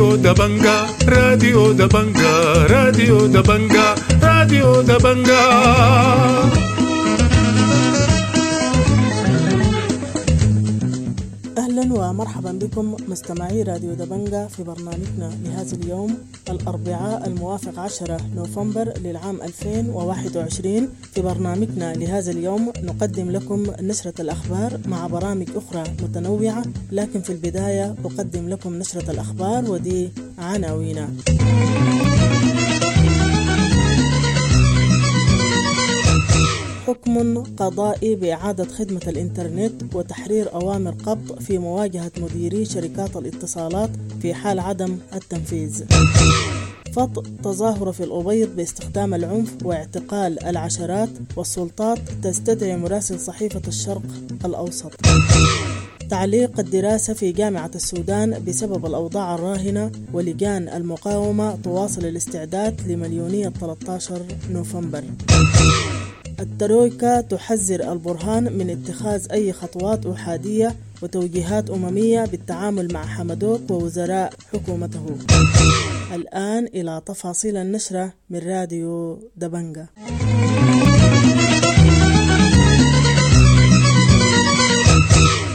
راديو دبنجا، راديو دبنجا، راديو دبنجا، راديو دبنجا. أهلا ومرحبا بكم مستمعي راديو دبنجا في برنامجنا لهذا اليوم الأربعاء الموافق 10 نوفمبر للعام 2021. في برنامجنا لهذا اليوم نقدم لكم نشرة الأخبار مع برامج أخرى متنوعة، لكن في البداية أقدم لكم نشرة الأخبار ودي عناوينها. حكم قضائي بإعادة خدمة الإنترنت وتحرير أوامر قبض في مواجهة مديري شركات الاتصالات في حال عدم التنفيذ. فض تظاهرة في الأبيض باستخدام العنف واعتقال العشرات، والسلطات تستدعي مراسل صحيفة الشرق الأوسط. تعليق الدراسة في جامعة السودان بسبب الأوضاع الراهنة، ولجان المقاومة تواصل الاستعداد لمليونية 13 نوفمبر. الترويكا تحذر البرهان من اتخاذ أي خطوات أحادية وتوجيهات أممية بالتعامل مع حمدوك ووزراء حكومته. الآن إلى تفاصيل النشرة من راديو دبنجا.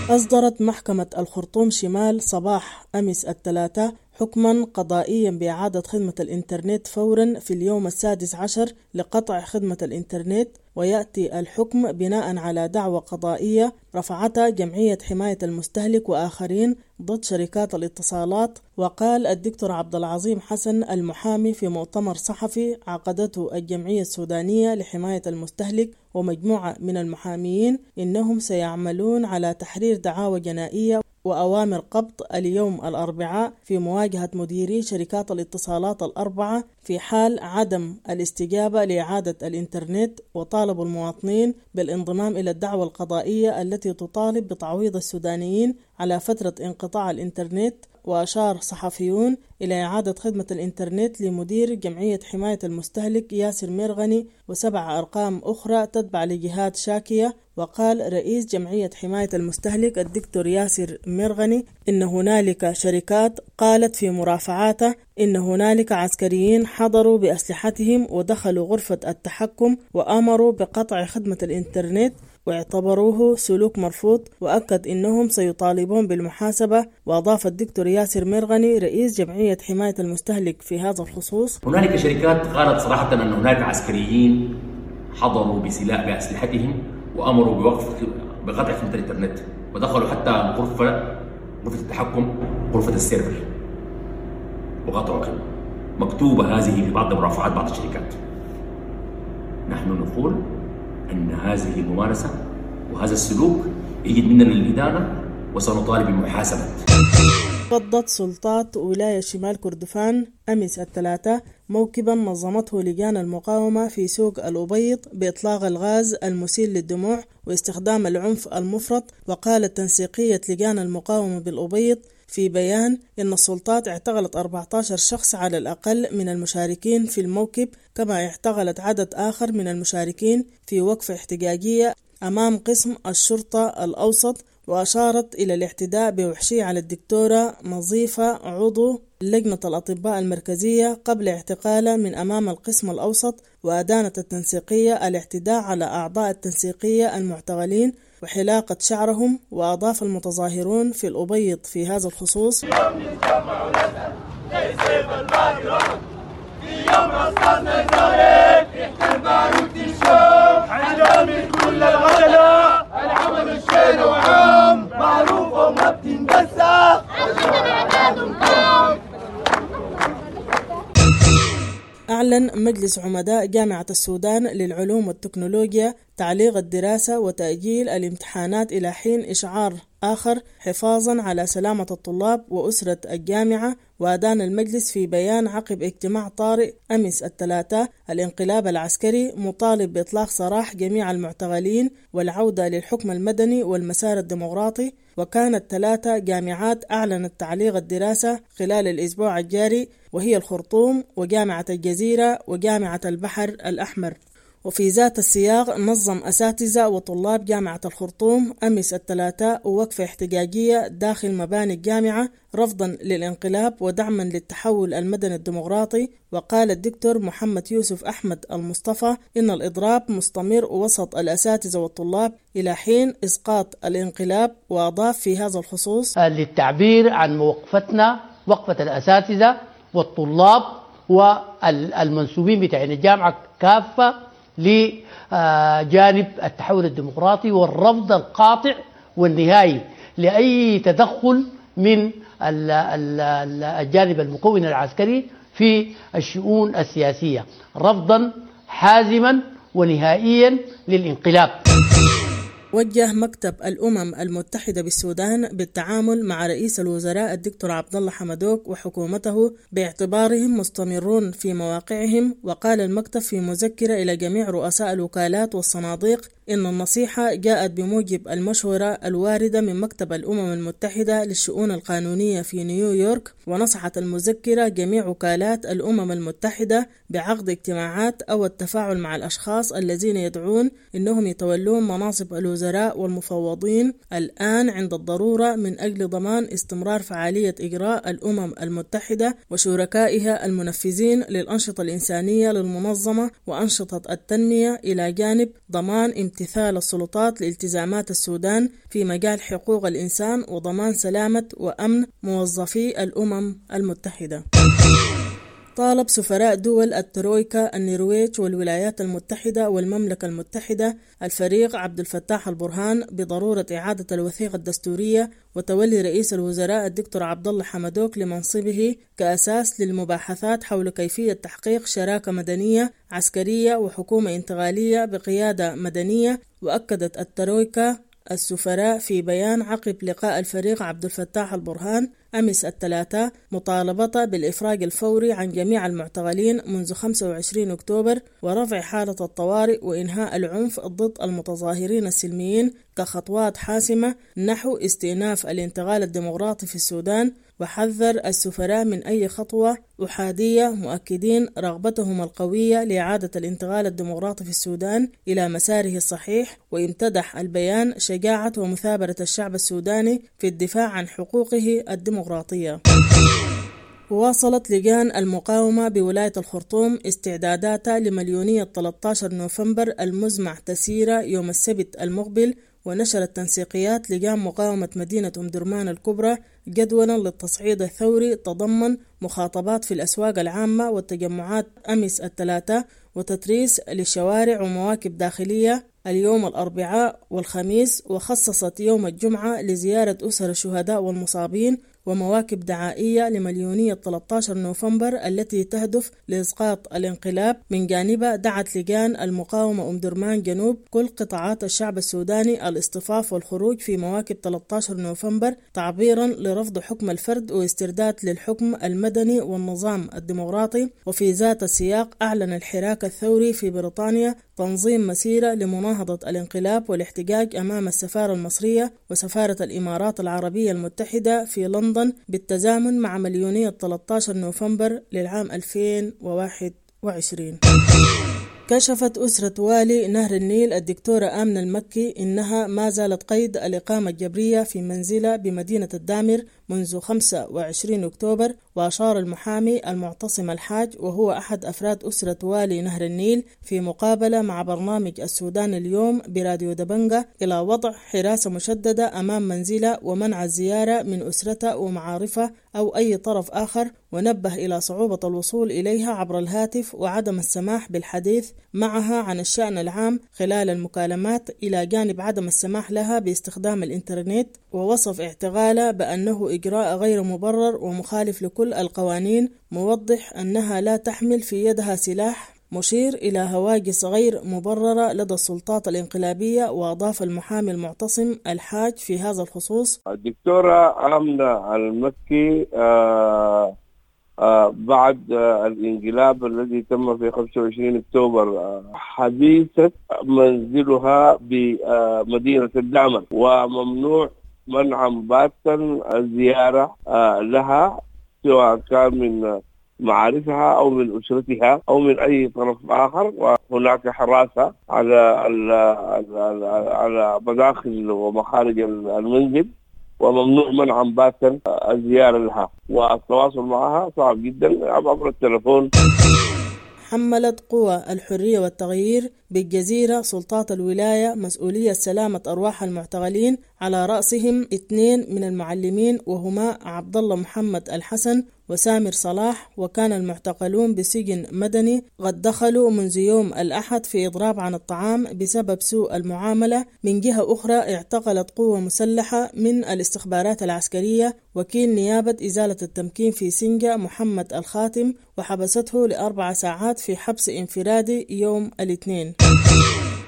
أصدرت محكمة الخرطوم شمال صباح أمس الثلاثاء حكما قضائيا بإعادة خدمة الإنترنت فورا في اليوم 16 لقطع خدمة الإنترنت، ويأتي الحكم بناء على دعوى قضائية رفعتها جمعية حماية المستهلك وآخرين ضد شركات الاتصالات. وقال الدكتور عبد العظيم حسن المحامي في مؤتمر صحفي عقدته الجمعية السودانية لحماية المستهلك ومجموعة من المحاميين إنهم سيعملون على تحرير دعاوى جنائية وأوامر قبض اليوم الأربعاء في مواجهة مديري شركات الاتصالات الأربعة في حال عدم الاستجابة لإعادة الإنترنت، وطالبوا المواطنين بالانضمام إلى الدعوى القضائية التي تطالب بتعويض السودانيين على فترة انقطاع الإنترنت. وأشار صحفيون إلى إعادة خدمة الإنترنت لمدير جمعية حماية المستهلك ياسر ميرغني و7 أرقام أخرى تتبع لجهات شاكية. وقال رئيس جمعية حماية المستهلك الدكتور ياسر ميرغني إن هنالك شركات قالت في مرافعاته إن هنالك عسكريين حضروا بأسلحتهم ودخلوا غرفة التحكم وأمروا بقطع خدمة الإنترنت واعتبروه سلوك مرفوض، وأكد إنهم سيطالبون بالمحاسبة. وأضاف الدكتور ياسر ميرغني رئيس جمعية حماية المستهلك في هذا الخصوص: هنالك شركات قالت صراحة أن هناك عسكريين حضروا بسلاح بأسلحتهم وأمروا بقطع خدمة الإنترنت، ودخلوا حتى غرفة التحكم، غرفة السيرفر، وقطعوا الخدمة. مكتوبة هذه في بعض مرافعات بعض الشركات. نحن نقول أن هذه الممارسة وهذا السلوك يجد مننا الإدانة، وسنطالب بمحاسبة. فضت سلطات ولاية شمال كردفان أمس الثلاثاء موكبا نظمته لجان المقاومة في سوق الأبيض بإطلاق الغاز المسيل للدموع واستخدام العنف المفرط. وقالت تنسيقية لجان المقاومة بالأبيض في بيان إن السلطات اعتقلت 14 شخص على الأقل من المشاركين في الموكب، كما اعتقلت عدد آخر من المشاركين في وقفة احتجاجية أمام قسم الشرطة الأوسط. وأشارت إلى الاعتداء بوحشية على الدكتورة نظيفة عضو لجنة الأطباء المركزية قبل اعتقالها من أمام القسم الأوسط. وأدانت التنسيقية الاعتداء على أعضاء التنسيقية المعتقلين وحلاقة شعرهم. وأضاف المتظاهرون في الأبيض في هذا الخصوص: أعلن مجلس عمداء جامعة السودان للعلوم والتكنولوجيا تعليق الدراسة وتأجيل الامتحانات إلى حين إشعار آخر حفاظا على سلامة الطلاب وأسرة الجامعة. وأدان المجلس في بيان عقب اجتماع طارئ أمس الثلاثاء الانقلاب العسكري، مطالب بإطلاق سراح جميع المعتقلين والعودة للحكم المدني والمسار الديمقراطي. وكانت 3 جامعات أعلنت تعليق الدراسة خلال الأسبوع الجاري، وهي الخرطوم وجامعة الجزيرة وجامعة البحر الأحمر. وفي ذات السياق، نظم أساتذة وطلاب جامعة الخرطوم أمس الثلاثاء وقفة احتجاجية داخل مباني الجامعة رفضا للانقلاب ودعما للتحول المدني الديمقراطي. وقال الدكتور محمد يوسف أحمد المصطفى إن الإضراب مستمر وسط الأساتذة والطلاب إلى حين إسقاط الانقلاب. وأضاف في هذا الخصوص: للتعبير عن موقفتنا، وقفة الأساتذة والطلاب والمنسوبين بتاعين الجامعة كافة لجانب التحول الديمقراطي والرفض القاطع والنهائي لأي تدخل من الجانب المكون العسكري في الشؤون السياسية، رفضا حازما ونهائيا للانقلاب. وجه مكتب الأمم المتحدة بالسودان بالتعامل مع رئيس الوزراء الدكتور عبد الله حمدوك وحكومته باعتبارهم مستمرون في مواقعهم. وقال المكتب في مذكرة إلى جميع رؤساء الوكالات والصناديق إن النصيحة جاءت بموجب المشورة الواردة من مكتب الأمم المتحدة للشؤون القانونية في نيويورك. ونصحت المذكرة جميع وكالات الأمم المتحدة بعقد اجتماعات أو التفاعل مع الأشخاص الذين يدعون إنهم يتولون مناصب الوزراء والمفوضين الآن عند الضرورة من أجل ضمان استمرار فعالية إجراء الأمم المتحدة وشركائها المنفذين للأنشطة الإنسانية للمنظمة وأنشطة التنمية، إلى جانب ضمان امتثال السلطات لالتزامات السودان في مجال حقوق الإنسان وضمان سلامة وأمن موظفي الأمم المتحدة. طالب سفراء دول الترويكا النرويج والولايات المتحدة والمملكة المتحدة الفريق عبد الفتاح البرهان بضرورة إعادة الوثيقة الدستورية وتولي رئيس الوزراء الدكتور عبد الله حمدوك لمنصبه كأساس للمباحثات حول كيفية تحقيق شراكة مدنية عسكرية وحكومة انتقالية بقيادة مدنية. وأكدت الترويكا السفراء في بيان عقب لقاء الفريق عبد الفتاح البرهان أمس الثلاثاء مطالبته بالإفراج الفوري عن جميع المعتقلين منذ 25 أكتوبر ورفع حالة الطوارئ وإنهاء العنف ضد المتظاهرين السلميين كخطوات حاسمة نحو استئناف الانتقال الديمقراطي في السودان. وحذر السفراء من أي خطوة أحادية، مؤكدين رغبتهم القوية لإعادة الانتقال الديمقراطي في السودان إلى مساره الصحيح. وامتدح البيان شجاعة ومثابرة الشعب السوداني في الدفاع عن حقوقه الديمقراطية. وواصلت لجان المقاومة بولاية الخرطوم استعداداتها لمليونية 13 نوفمبر المزمع تسييرها يوم السبت المقبل. ونشرت تنسيقيات لجان مقاومة مدينة أم درمان الكبرى جدولا للتصعيد الثوري تضمن مخاطبات في الأسواق العامة والتجمعات أمس الثلاثاء وتتريس للشوارع ومواكب داخلية اليوم الأربعاء والخميس. وخصصت يوم الجمعة لزيارة أسر الشهداء والمصابين ومواكب دعائية لمليونية 13 نوفمبر التي تهدف لإسقاط الانقلاب. من جانبها دعت لجان المقاومة أم درمان جنوب كل قطاعات الشعب السوداني الاصطفاف والخروج في مواكب 13 نوفمبر تعبيرا لرفض حكم الفرد واسترداد للحكم المدني والنظام الديمقراطي. وفي ذات السياق أعلن الحراك الثوري في بريطانيا تنظيم مسيرة لمناهضة الانقلاب والاحتجاج أمام السفارة المصرية وسفارة الإمارات العربية المتحدة في لندن بالتزامن مع مليونية 13 نوفمبر للعام 2021. كشفت أسرة والي نهر النيل الدكتورة آمنة المكي إنها ما زالت قيد الإقامة الجبرية في منزلها بمدينة الدامر منذ 25 أكتوبر. وأشار المحامي المعتصم الحاج وهو أحد أفراد أسرة والي نهر النيل في مقابلة مع برنامج السودان اليوم براديو دبنجة إلى وضع حراسة مشددة أمام منزله ومنع الزيارة من أسرته ومعارفه أو أي طرف آخر، ونبه إلى صعوبة الوصول إليها عبر الهاتف وعدم السماح بالحديث معها عن الشأن العام خلال المكالمات، إلى جانب عدم السماح لها باستخدام الإنترنت. ووصف اعتقالها بأنه إجراء غير مبرر ومخالف لكل القوانين، موضح أنها لا تحمل في يدها سلاح، مشير إلى هواجس غير مبررة لدى السلطات الانقلابية. وأضاف المحامي المعتصم الحاج في هذا الخصوص: الدكتورة آمنة المكي بعد الانقلاب الذي تم في 25 أكتوبر حبيست منزلها بمدينة الدامر، وممنوع منعا باتا الزيارة لها سواء كان من معارفها أو من أسرتها أو من أي طرف آخر، وهناك حراسة على مداخل ومخارج المنزل، وممنوع منعا باتا الزيارة لها، والتواصل معها صعب جدا عبر التلفون. حملت قوى الحرية والتغيير بالجزيرة سلطات الولاية مسؤولية سلامة أرواح المعتقلين، على رأسهم 2 من المعلمين وهما عبد الله محمد الحسن وسامر صلاح. وكان المعتقلون بسجن مدني قد دخلوا منذ يوم الأحد في إضراب عن الطعام بسبب سوء المعاملة. من جهة أخرى اعتقلت قوة مسلحة من الاستخبارات العسكرية وكيل نيابة إزالة التمكين في سنجة محمد الخاتم وحبسته ل4 ساعات في حبس انفرادي يوم الاثنين.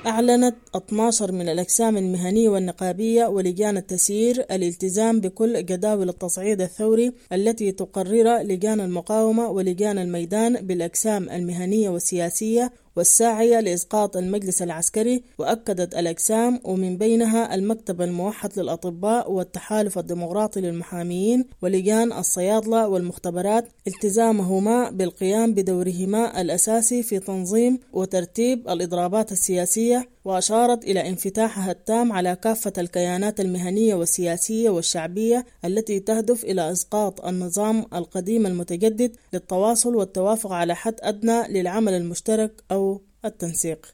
أعلنت 12 من الأجسام المهنية والنقابية ولجان التسيير الالتزام بكل جداول التصعيد الثوري التي تقرر لجان المقاومة ولجان الميدان بالأجسام المهنية والسياسية والساعية لإسقاط المجلس العسكري. وأكدت الأجسام ومن بينها المكتب الموحد للأطباء والتحالف الديمقراطي للمحاميين ولجان الصيادلة والمختبرات التزامهما بالقيام بدورهما الأساسي في تنظيم وترتيب الإضرابات السياسية. وأشارت إلى انفتاحها التام على كافة الكيانات المهنية والسياسية والشعبية التي تهدف إلى إسقاط النظام القديم المتجدد للتواصل والتوافق على حد أدنى للعمل المشترك أو التنسيق.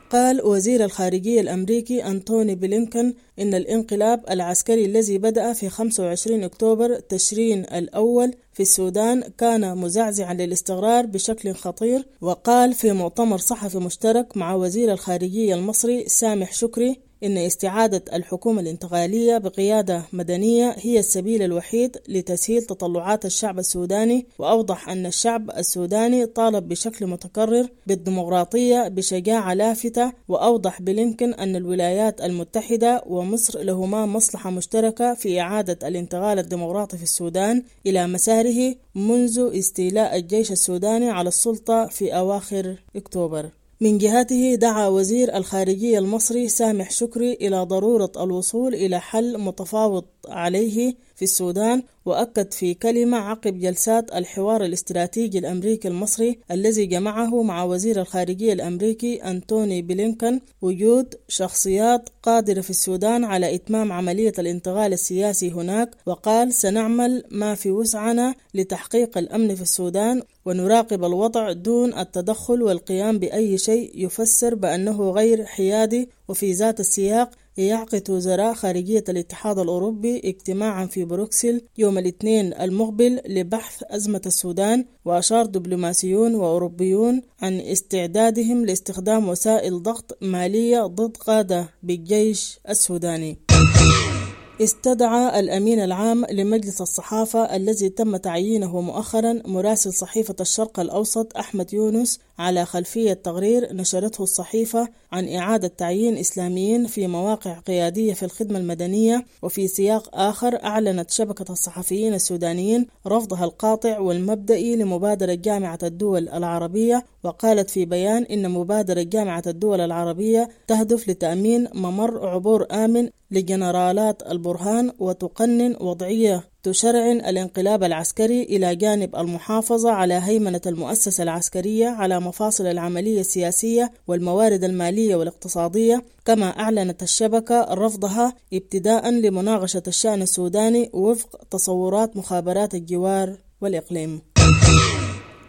قال وزير الخارجية الأمريكي أنتوني بلينكن إن الانقلاب العسكري الذي بدأ في 25 أكتوبر تشرين الأول في السودان كان مزعزعا للاستقرار بشكل خطير. وقال في مؤتمر صحفي مشترك مع وزير الخارجية المصري سامح شكري إن استعادة الحكومة الانتقالية بقيادة مدنية هي السبيل الوحيد لتسهيل تطلعات الشعب السوداني. وأوضح أن الشعب السوداني طالب بشكل متكرر بالديمقراطية بشجاعة لافتة. وأوضح بلينكن أن الولايات المتحدة ومصر لهما مصلحة مشتركة في إعادة الانتقال الديمقراطي في السودان إلى مساره منذ استيلاء الجيش السوداني على السلطة في أواخر أكتوبر. من جهته دعا وزير الخارجية المصري سامح شكري إلى ضرورة الوصول إلى حل متفاوض عليه في السودان. وأكد في كلمة عقب جلسات الحوار الاستراتيجي الأمريكي المصري الذي جمعه مع وزير الخارجية الأمريكي أنتوني بلينكن وجود شخصيات قادرة في السودان على إتمام عملية الانتقال السياسي هناك. وقال سنعمل ما في وسعنا لتحقيق الأمن في السودان ونراقب الوضع دون التدخل والقيام بأي شيء يفسر بأنه غير حيادي. وفي ذات السياق يعقد وزراء خارجية الاتحاد الأوروبي اجتماعا في بروكسل يوم الاثنين المقبل لبحث أزمة السودان. وأشار دبلوماسيون وأوروبيون عن استعدادهم لاستخدام وسائل ضغط مالية ضد قادة بالجيش السوداني. استدعى الأمين العام لمجلس الصحافة الذي تم تعيينه مؤخرا مراسل صحيفة الشرق الأوسط أحمد يونس على خلفية تقرير نشرته الصحيفة عن إعادة تعيين إسلاميين في مواقع قيادية في الخدمة المدنية. وفي سياق آخر أعلنت شبكة الصحفيين السودانيين رفضها القاطع والمبدئي لمبادرة جامعة الدول العربية. وقالت في بيان إن مبادرة جامعة الدول العربية تهدف لتأمين ممر عبور آمن لجنرالات البرهان وتقنن وضعية تشرعن الانقلاب العسكري إلى جانب المحافظة على هيمنة المؤسسة العسكرية على مفاصل العملية السياسية والموارد المالية والاقتصادية. كما أعلنت الشبكة رفضها ابتداء لمناقشة الشأن السوداني وفق تصورات مخابرات الجوار والإقليم.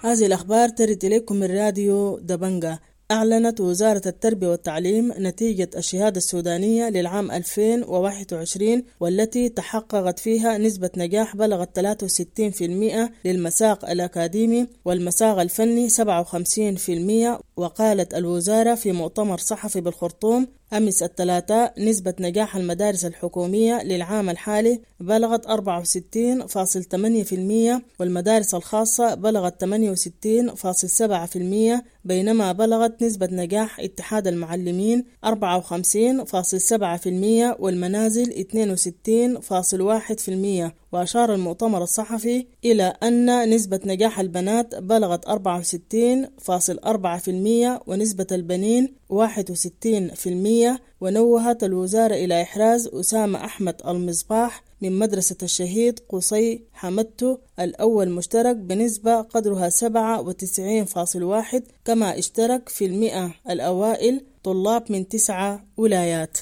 هذه الأخبار ترد إليكم من راديو دبنجة. أعلنت وزارة التربية والتعليم نتيجة الشهادة السودانية للعام 2021 والتي تحققت فيها نسبة نجاح بلغت 63% للمساق الأكاديمي والمساق الفني 57%. وقالت الوزارة في مؤتمر صحفي بالخرطوم أمس الثلاثاء نسبة نجاح المدارس الحكومية للعام الحالي بلغت 64.8% والمدارس الخاصة بلغت 68.7%، بينما بلغت نسبة نجاح اتحاد المعلمين 54.7% والمنازل 62.1%. وأشار المؤتمر الصحفي إلى أن نسبة نجاح البنات بلغت 64.4% 60% ونسبة البنين 61%. ونوهت الوزارة إلى إحراز أسامة أحمد المصباح من مدرسة الشهيد قصي حمدتو الأول مشترك بنسبة قدرها 97.1، كما اشترك في 100 الأوائل طلاب من 9 ولايات.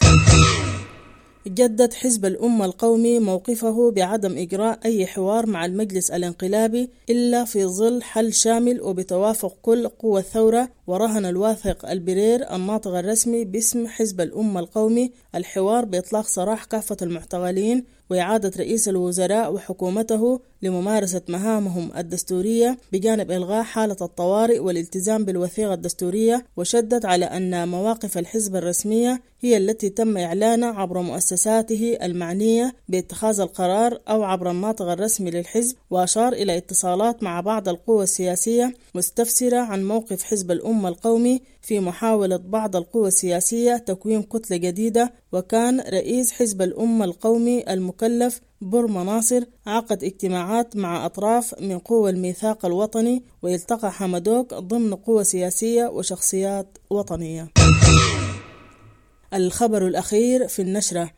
جدد حزب الأمة القومي موقفه بعدم إجراء أي حوار مع المجلس الانقلابي إلا في ظل حل شامل وبتوافق كل قوى الثورة. ورهن الواثق البرير الناطق الرسمي باسم حزب الأمة القومي الحوار بإطلاق سراح كافة المعتقلين وإعادة رئيس الوزراء وحكومته لممارسة مهامهم الدستورية بجانب إلغاء حالة الطوارئ والالتزام بالوثيقة الدستورية. وشدد على أن مواقف الحزب الرسمية هي التي تم إعلانها عبر مؤسساته المعنية باتخاذ القرار أو عبر الناطق الرسمي للحزب. وأشار إلى اتصالات مع بعض القوى السياسية مستفسرة عن موقف حزب الأمة القومي في محاولة بعض القوى السياسية تكوين كتلة جديدة. وكان رئيس حزب الأمة القومي المكلف برما ناصر عقد اجتماعات مع أطراف من قوى الميثاق الوطني، ويلتقى حمدوك ضمن قوى سياسية وشخصيات وطنية. الخبر الأخير في النشرة: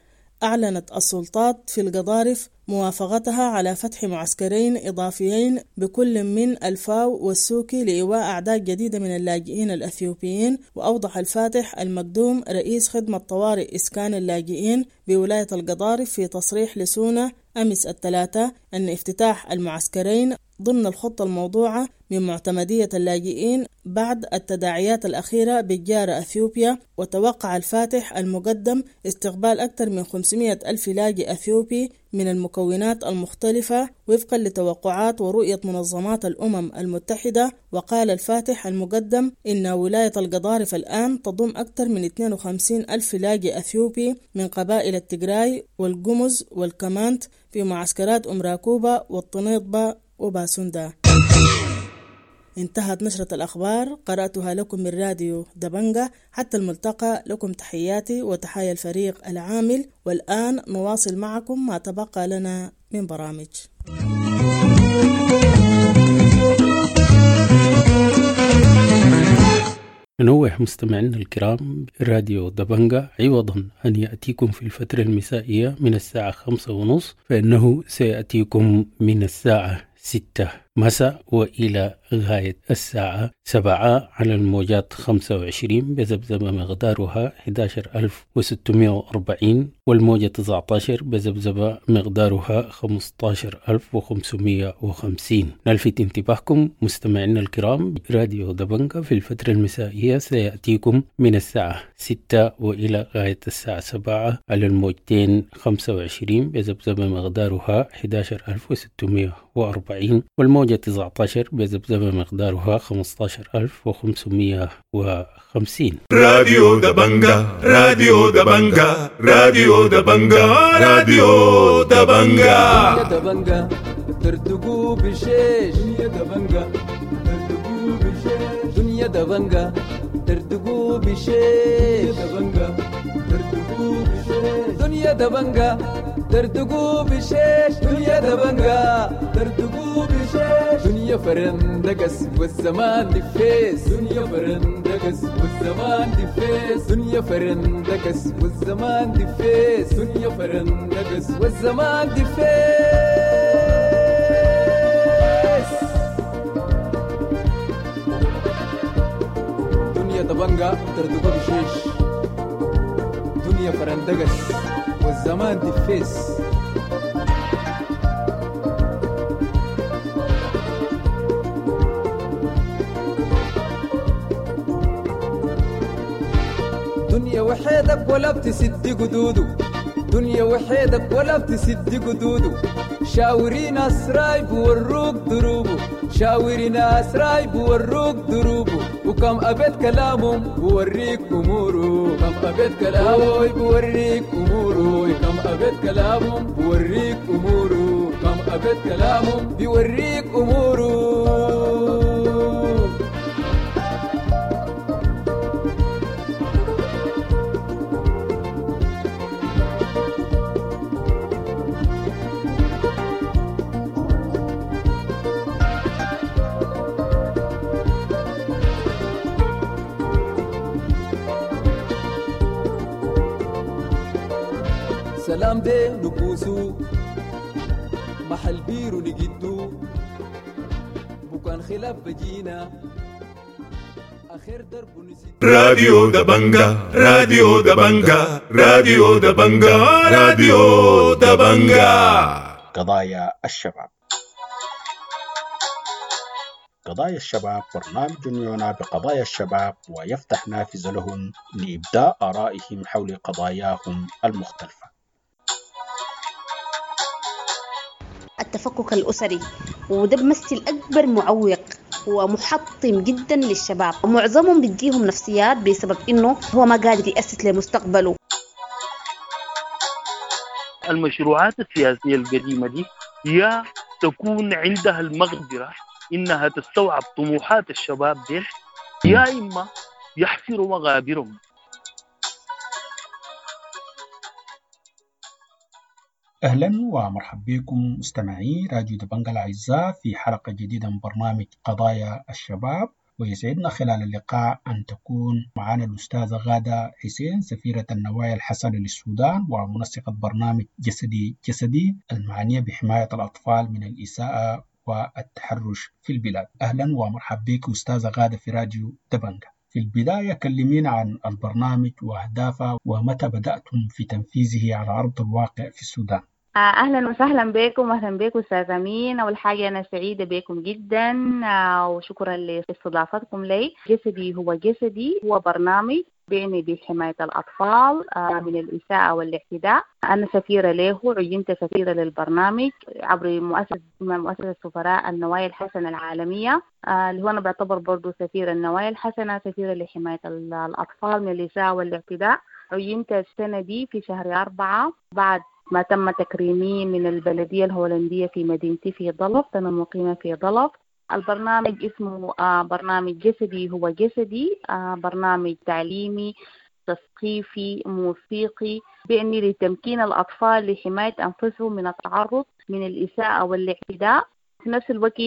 أعلنت السلطات في القضارف موافقتها على فتح معسكرين إضافيين بكل من الفاو والسوكي لإيواء أعداد جديدة من اللاجئين الأثيوبيين. وأوضح الفاتح المقدوم رئيس خدمة طوارئ إسكان اللاجئين بولاية القضارف في تصريح لسونا أمس الثلاثاء أن افتتاح المعسكرين ضمن الخطة الموضوعة من معتمدية اللاجئين بعد التداعيات الأخيرة بالجارة أثيوبيا. وتوقع الفاتح المقدم استقبال أكثر من 500 ألف لاجئ أثيوبي من المكونات المختلفة وفقا لتوقعات ورؤية منظمات الأمم المتحدة. وقال الفاتح المقدم إن ولاية القضارف الآن تضم أكثر من 52 ألف لاجئ أثيوبي من قبائل التجراي والجمز والكمانت في معسكرات أم راكوبة والطنيطبة وباسوندا. انتهت نشرة الأخبار، قرأتها لكم من راديو دبنجة. حتى الملتقى، لكم تحياتي وتحايا الفريق العامل. والآن نواصل معكم ما تبقى لنا من برامج. ننوه مستمعينا الكرام، راديو دبنجة عوضا أن يأتيكم في الفترة المسائية من الساعة 5:30 فإنه سيأتيكم من الساعة 6 مساء وإلى غاية الساعة 7 على الموجات 25 بذبذبة مقدارها 11640، والموجة 19 بذبذبة مقدارها 15550. نلفت انتباهكم مستمعينا الكرام، راديو دبنجة في الفترة المسائية سيأتيكم من الساعة 6 وإلى غاية الساعة 7 على الموجتين 25 بذبذبة مقدارها 11640، والموجة 19 بذبذبة مقدارها 15550. راديو دبنجة، راديو دبنجة، راديو دبنجة، راديو دبنجة. يا دبنجة ترتقوا بشيش، يا دبنجة ترتقوا بشيش، دنيا دبنجة ترتقوا بشيش، يا دبنجة ترتقوا بشيش، دنيا دبنجة ترتقوا بشيش، دنيا دبنجة ترتقوا بشيش، دنيا فرندقس والزمان دفيس، دنيا فرندقس والزمان دفيس، دنيا فرندقس والزمان دفيس، دنيا فرندقس والزمان دفيس. دنيا دبنجة ترتقوا بشيش، دنيا فرندقس والزمان دفيس. دنيا وحيدك ولا بتسد قدوده، دنيا وحيدك ولا بتسد قدوده، شاوري ناس رايب وروك دروبه، شاوري ناس رايب وروك دروبه، وكم أبيت كلامهم بوريك أموره، كم أبيت كلامه بوريك أموره، كم أبيت كلامهم بوريك أموره، كم أبيت كلامهم بيوريك أموره. سلام دي نبوسو محل بيرو نجدو بكان خلاف بجينا آخر درب نسيت. راديو دبنجا، راديو دبنجا، راديو دبنجا، راديو دبنجا. قضايا الشباب. قضايا الشباب برنامج يعنى بقضايا الشباب ويفتح نافذة لهم لإبداء آرائهم حول قضاياهم المختلفة. التفكك الأسري وده بمثل أكبر معوق ومحطم جدا للشباب، ومعظمهم بتجيهم نفسيات بسبب إنه هو ما قادر يأسس لمستقبله. المشروعات السياسية القديمة دي يا تكون عندها المقدرة إنها تستوعب طموحات الشباب دي، يا إما يحفروا مغابرهم. أهلا ومرحبا بكم مستمعي راديو دبنجا الأعزاء في حلقة جديدة من برنامج قضايا الشباب، ويسعدنا خلال اللقاء أن تكون معنا الأستاذة غادة حسين، سفيرة النوايا الحسنة للسودان ومنسقة برنامج جسدي جسدي المعنية بحماية الأطفال من الإساءة والتحرش في البلاد. أهلا ومرحبا بك أستاذة غادة في راديو دبنجا. في البداية كلمينا عن البرنامج وأهدافه ومتى بدأتم في تنفيذه على أرض الواقع في السودان. أهلا وسهلا بكم. أهلا بكم أستاذ أمين. أول حاجة أنا سعيدة بكم جدا وشكرا لاستضافتكم لي. جسدي هو جسدي هو برنامج بيعني بحماية الأطفال من الإساءة والاعتداء. أنا سفيرة له، عينت سفيرة للبرنامج عبر مؤسسة سفراء النوايا الحسنة العالمية، اللي هو أنا بعتبر برضو سفيرة النوايا الحسنة، سفيرة لحماية الأطفال من الإساءة والاعتداء. عينت السنة دي في شهر 4 بعد ما تم تكريمي من البلدية الهولندية في مدينتي في ضلف. أنا مقيمة في ضلف. البرنامج اسمه برنامج جسدي هو جسدي، برنامج تعليمي تثقيفي موسيقي بيعني لتمكين الأطفال لحماية أنفسهم من التعرض من الإساءة والاعتداء. في نفس الوقت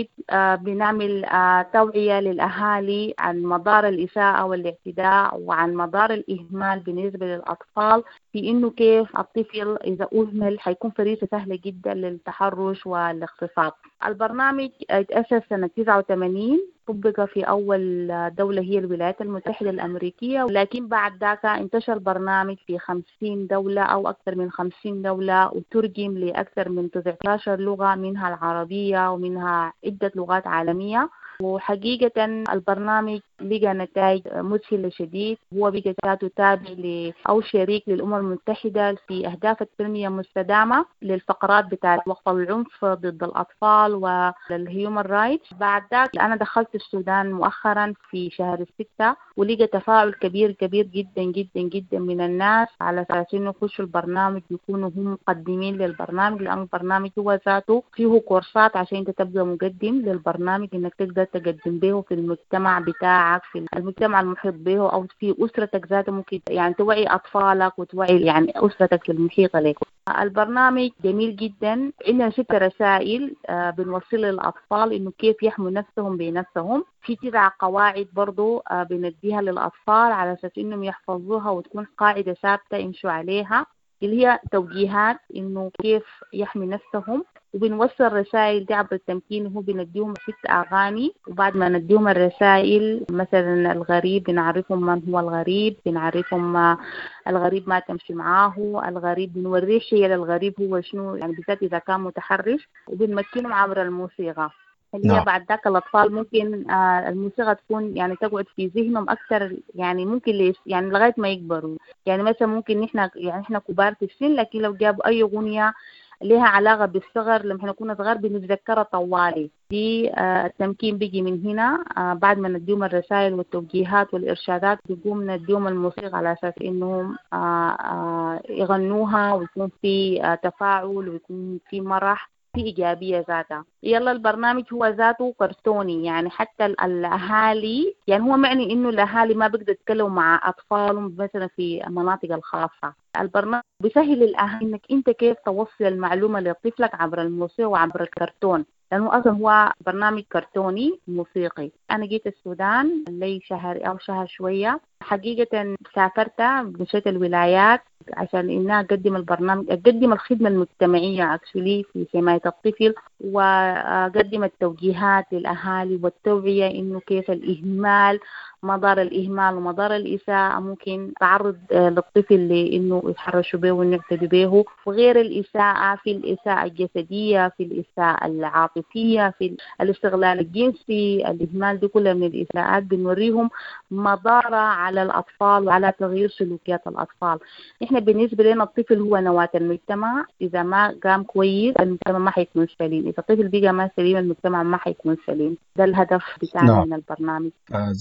بنعمل توعية للأهالي عن مضار الإساءة والاعتداء وعن مضار الإهمال بالنسبة للأطفال، في إنه كيف الطفل إذا أهمل حيكون فريسة سهلة جدا للتحرش والاغتصاب. البرنامج اتأسس سنة 89، طبق في أول دولة هي الولايات المتحدة الأمريكية، لكن بعد ذاك انتشر البرنامج في 50 دولة أو أكثر من 50 دولة، وترجم لأكثر من 19 لغة، منها العربية ومنها عدة لغات عالمية. وحقيقة البرنامج لقى نتائج مذهلة شديد. هو بقى ذاته تابع أو شريك للأمم المتحدة في أهداف التنمية المستدامة للفقرات بتاعة وقف العنف ضد الأطفال وال human rights. بعد ذاك أنا دخلت السودان مؤخرا في شهر 6، ولقى تفاعل كبير كبير جدا جدا جدا من الناس على أساس إنه يخشوا البرنامج، يكونوا هم مقدمين للبرنامج، لأن البرنامج هو ذاته فيه كورسات عشان أنت تبقى مقدم للبرنامج، إنك تقدر تقدم به في المجتمع بتاعك، في المجتمع المحيط به، أو في أسرتك ذاته. ممكن يعني توعي أطفالك وتوعي يعني أسرتك المحيطة لك. البرنامج جميل جدا. عندنا 6 رسائل بنوصلها للأطفال إنه كيف يحموا نفسهم بنفسهم. في 9 قواعد برضو بنديها للأطفال على أساس إنهم يحفظوها وتكون قاعدة ثابتة يمشوا عليها، اللي هي توجيهات إنه كيف يحمي نفسهم. وبنوصل رسائل دي عبر التمكين، هو بنديهم 6 أغاني، وبعد ما نديهم الرسائل مثلا الغريب بنعرفهم من هو الغريب، بنعرفهم الغريب ما تمشي معاه، الغريب بنوريه شيء للغريب هو شنو يعني، بالذات إذا كان متحرش، وبنمكنهم عبر الموسيقى اللي هي بعد ذاك الأطفال ممكن الموسيقى تكون يعني تقعد في ذهنهم أكثر، يعني ممكن يعني لغاية ما يكبروا. يعني مثلا ممكن نحن يعني إحنا كبار في السن، لكن لو جابوا أي أغنية لها علاقة بالصغر لما احنا كنا صغار بنتذكرها طوالي. دي التمكين بيجي من هنا. بعد ما نديهم الرسائل والتوجيهات والإرشادات بيقوم نديهم الموسيقى على أساس إنهم يغنوها ويكون في تفاعل ويكون في مرح، في إيجابية ذاتها. يلا البرنامج هو ذاته كرتوني، يعني حتى الأهالي، يعني هو معني إنه الأهالي ما بيقدروا يتكلموا مع أطفالهم مثلا في المناطق الخاصة. البرنامج بيسهل للأهالي إنك أنت كيف توصل المعلومة لطفلك عبر الموسيقى وعبر الكرتون، لأنه أصلا هو برنامج كرتوني موسيقي. أنا جيت السودان لي شهر أو شهر شوية، حقيقة سافرت مشيت الولايات، عشان إنها أقدم البرنامج، أقدم الخدمة المجتمعية actually في حماية الطفل، وأقدم التوجيهات للأهالي والتوعية إنه كيف الإهمال، مضار الإهمال ومضار الإساءة ممكن تعرض للطفل لإنه يتحرشوا به وإنه يعتدوا به، وغير الإساءة في الإساءة الجسدية، في الإساءة العاطفية، في الاستغلال الجنسي، الإهمال، دي كلها من الإساءات بنوريهم مضارة على الأطفال وعلى تغيير سلوكيات الأطفال. إحنا بالنسبة لنا الطفل هو نواة المجتمع، إذا ما قام كويس المجتمع ما حيكون سليم، إذا الطفل بقى ما سليم المجتمع ما حيكون سليم. ده الهدف بتاعنا من البرنامج.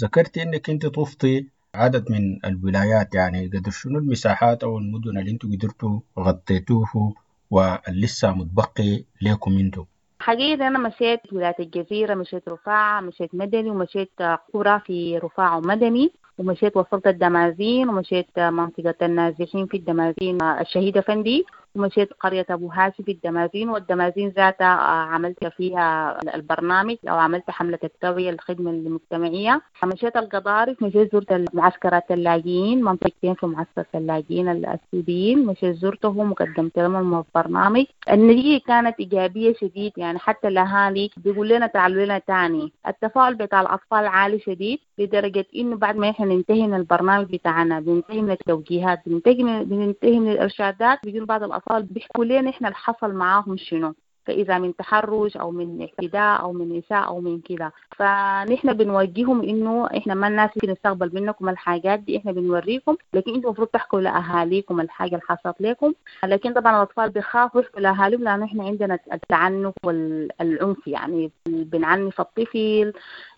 ذكرت إنك أنت طفتي عدد من الولايات، يعني قدر شنو المساحات أو المدن اللي أنتوا قدرتوا غطيتوه ولسه متبقي لكم أنتوا؟ حقيقة أنا مشيت ولاية الجزيرة، مشيت رفاعة، مشيت مدني، ومشيت قرى في رفاعة ومدني، ومشيت وصلت الدمازين، ومشيت منطقة النازحين في الدمازين الشهيدة فندي، ومشيت قرية أبو هاشم في الدمازين، والدمازين ذاتها عملت فيها البرنامج أو عملت حملة التوعية الخدمة المجتمعية. مشيت القضارف، مشيت زرت معسكرات اللاجئين، منطقتين في معسكر اللاجئين السوريين، مشيت زرتهم وقدمت لهم البرنامج. النتيجة كانت إيجابية شديد، يعني حتى الأهالي بيقول لنا تعالوا لنا تاني. التفاعل بتاع الأطفال عالي شديد لدرجة إنه بعد ما إحنا ننتهي من البرنامج بتاعنا، بننتهي من التوجيهات، بننتهي من الإرشادات، بيجون بعض الأطفال بيحكوا لنا إحنا اللي حصل معاهم شنو، فإذا من تحرش أو من اعتداء أو من إساءة أو من كده. فنحن بنوجههم إنه إحنا ما الناس ممكن نستقبل منكم الحاجات دي، إحنا بنوريكم، لكن أنتم المفروض تحكوا لأهاليكم الحاجة اللي حصلت لكم. لكن طبعا الأطفال بيخافوا يحكوا لأهاليهم لأنه إحنا عندنا التعنف والعنف، يعني بنعنف الطفل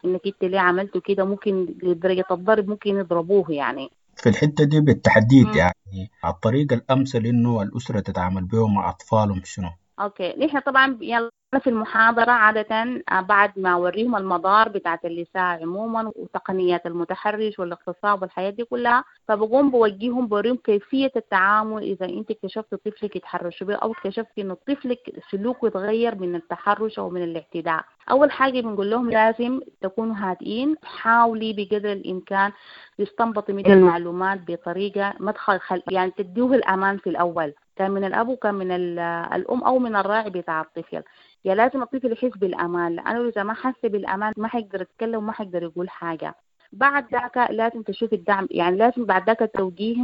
إنك أنت ليه عملتوا كده، ممكن لدرجة الضرب ممكن يضربوه يعني. في الحتة دي بالتحديد يعني الطريقة الأمثل إنه الأسرة تتعامل بيه مع أطفالهم شنو؟ okay، نحن طبعا يلا في المحاضرة عادة بعد ما أوريهم المضار بتاعت الإساءة عموما وتقنيات المتحرش والاغتصاب والحياة دي كلها، فبقوم بوجههم بوريهم كيفية التعامل إذا أنت اكتشفت طفلك يتحرش به أو اكتشفت إنه طفلك سلوكه يتغير من التحرش أو من الاعتداء. أول حاجة بنقول لهم لازم تكونوا هادئين، حاولي بقدر الإمكان تستنبطي من المعلومات بطريقة ما تخل يعني تديه الأمان في الأول، كان من الأب وكان من الأم أو من الراعي بتاع الطفل. يا لازم الطفل يحس بالأمان، لأنه إذا ما حس بالأمان ما حيقدر يتكلم وما حيقدر يقول حاجة. بعد ذاك لازم تشوف الدعم، يعني لازم بعد ذاك توجيه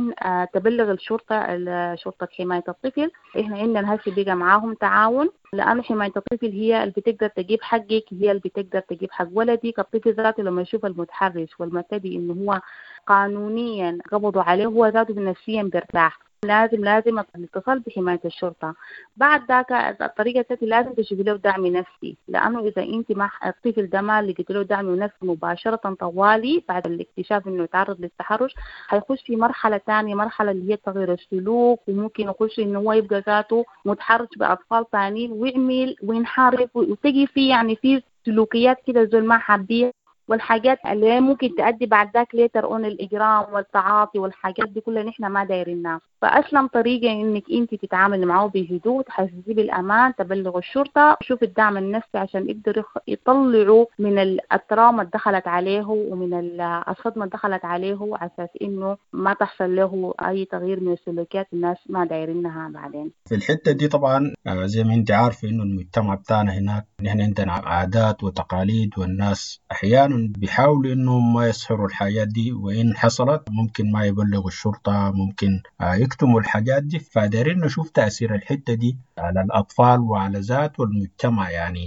تبلغ الشرطة، شرطة حماية الطفل. إحنا عندنا هسه بقى معاهم تعاون، لأنه حماية الطفل هي اللي بتقدر تجيب حقك، هي اللي بتقدر تجيب حق ولدك. الطفل ذاته لما يشوف المتحرش والمعتدي إنه هو قانونيا قبضوا عليه، هو ذاته نفسيا بيرتاح. لازم الاتصال بحماية الشرطة. بعد ذاك الطريقة التي لازم تشوف له دعم نفسي، لأنه إذا أنت مع الطفل ده ما لقيت له دعم نفسي مباشرة طوالي بعد الاكتشاف إنه يتعرض للتحرش، هيخش في مرحلة ثانية، مرحلة اللي هي تغيير السلوك، وممكن يخش إنه هو يبقى ذاته متحرش بأطفال ثانيين ويعمل وينحرف، وتجي في يعني في سلوكيات كده زول ما حابيها، والحاجات اللي ممكن تؤدي بعد ذاك later on الإجرام والتعاطي والحاجات دي كلها نحن ما دايرينها. فأسلم طريقة إنك أنت تتعامل معه بهدوء، تحسسيه بالأمان، تبلغ الشرطة، شوف الدعم النفسي عشان يقدروا يطلعوا من ال trauma اللي دخلت عليه ومن الصدمة اللي دخلت عليه، على أساس إنه ما تحصل له أي تغيير من السلوكيات الناس ما دايرينها بعدين. في الحتة دي طبعا زي ما أنت عارفة إنه المجتمع بتاعنا هناك نحن عندنا عادات وتقاليد، والناس أحيانا بيحاولوا إنهم ما يسهروا الحاجات دي، وإن حصلت ممكن ما يبلغوا الشرطة، ممكن يكتموا الحاجات دي. فدارين نشوف تأثير الحتة دي على الأطفال وعلى ذات والمجتمع، يعني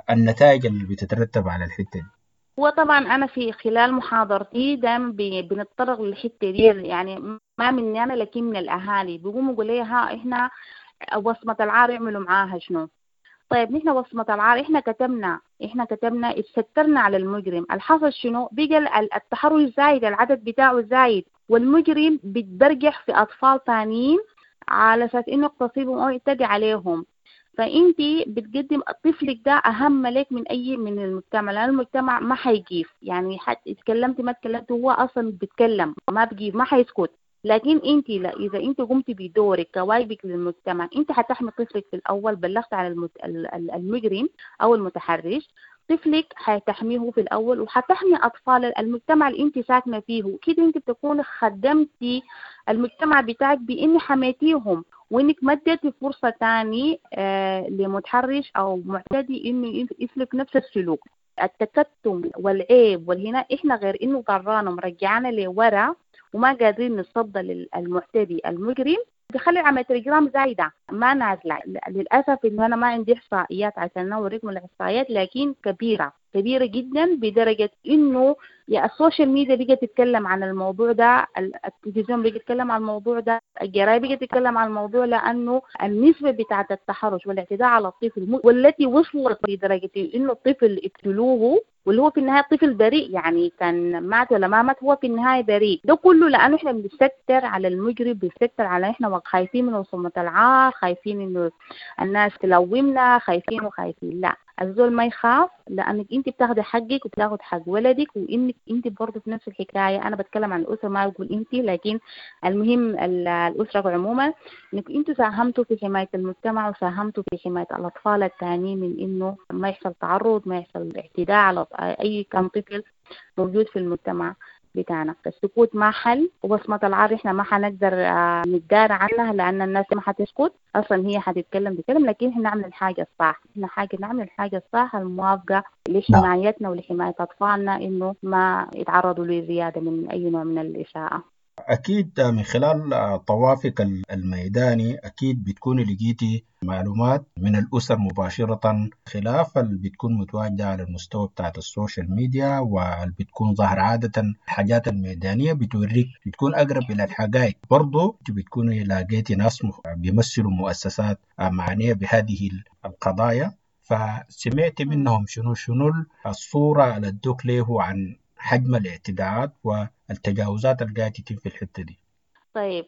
النتائج اللي بتترتب على الحتة دي. وطبعا أنا في خلال محاضرتي دائما بنتطرق للحتة دي، يعني ما مني أنا لكن من الأهالي بيقوموا يقولوا لي ها إحنا وصمة العار يعملوا معاها شنو؟ طيب نحن وصمة العار إحنا كتبنا اتسترنا على المجرم، الحصل شنو؟ بقى التحرش زايد، العدد بتاعه زايد، والمجرم بيتبرجح في أطفال تانيين على أساس إنه يغتصبهم أو يعتدي عليهم. فأنتي بتقدم طفلك ده أهم لك من أي من المجتمع، لأن المجتمع ما حيجيف، يعني حتى اتكلمتي ما اتكلمتي هو أصلا بيتكلم ما بيجيف ما حيسكت. لكن انت لا، اذا انت قمتي بدورك كواجبك للمجتمع، انت حتحمي طفلك في الاول، بلغت على المجرم او المتحرش، طفلك حتحميه في الأول، وحتحمي أطفال المجتمع اللي أنت ساكنة فيه. كده أنت بتكون خدمتي المجتمع بتاعك بإن حميتيهم، وإنك ما اديتي فرصة تاني لمتحرش أو معتدي إنه يسلك نفس السلوك. التكتم والعيب والهنا إحنا غير إنه ضرانا مرجعنا لورا وما قادرين نتصدى للمعتدي المجرم، بخلي عملية الإجرام زايدة ما نازلة. للأسف إنه أنا ما عندي إحصائيات عشان أوريكم الإحصائيات، لكن كبيرة كبيرة جدا، بدرجة إنه يا ال social media بقت تتكلم عن الموضوع ده، التلفزيون بقى يتكلم عن الموضوع ده، الجرايد بقت تتكلم عن الموضوع، لأنه النسبة بتاعة التحرش والاعتداء على الطفل والتي وصلت لدرجة إنه الطفل اقتلوه، واللي هو في النهاية طفل بريء، يعني كان مات ولا ما مات هو في النهاية بريء. ده كله لأنه إحنا بنستر على المجرم، بنستر على إحنا خايفين من وصمة العار، خايفين إنه الناس تلومنا، خايفين وخايفين. لا، الزول ما يخاف، لأنك أنت بتاخدي حقك وبتاخد حق ولدك، وإنك أنت برضه في نفس الحكاية. أنا بتكلم عن الأسرة، ما أقول أنت، لكن المهم الأسرة عموما، إنك أنتوا ساهمتوا في حماية المجتمع وساهمتوا في حماية الأطفال التانيين من إنه ما يحصل تعرض، ما يحصل اعتداء على أي كان طفل موجود في المجتمع بتاعنا. السكوت ما حل، وبصمة العار احنا ما حنقدر نتدار عنها، لأن الناس ما حتسكت أصلا، هي حتتكلم بكلم، لكن احنا نعمل الحاجة الصح، احنا حاجة نعمل الحاجة الصح الموافقة لحمايتنا ولحماية أطفالنا إنه ما يتعرضوا لزيادة من أي نوع من الإساءة. أكيد من خلال طوافك الميداني أكيد بتكون لقيتي معلومات من الأسر مباشرة، خلاف اللي بتكون متواجدة على المستوى بتاعت ال social media، واللي بتكون ظاهر عادة الحاجات الميدانية بتوريك، بتكون أقرب إلى الحقائق. برضو بتكوني لقيتي ناس بيمثلوا مؤسسات معنية بهذه القضايا، فسمعتي منهم شنو الصورة اللي ادوك له عن حجم الاعتداءات والتجاوزات اللي قاعدة تتم في الحتة دي؟ طيب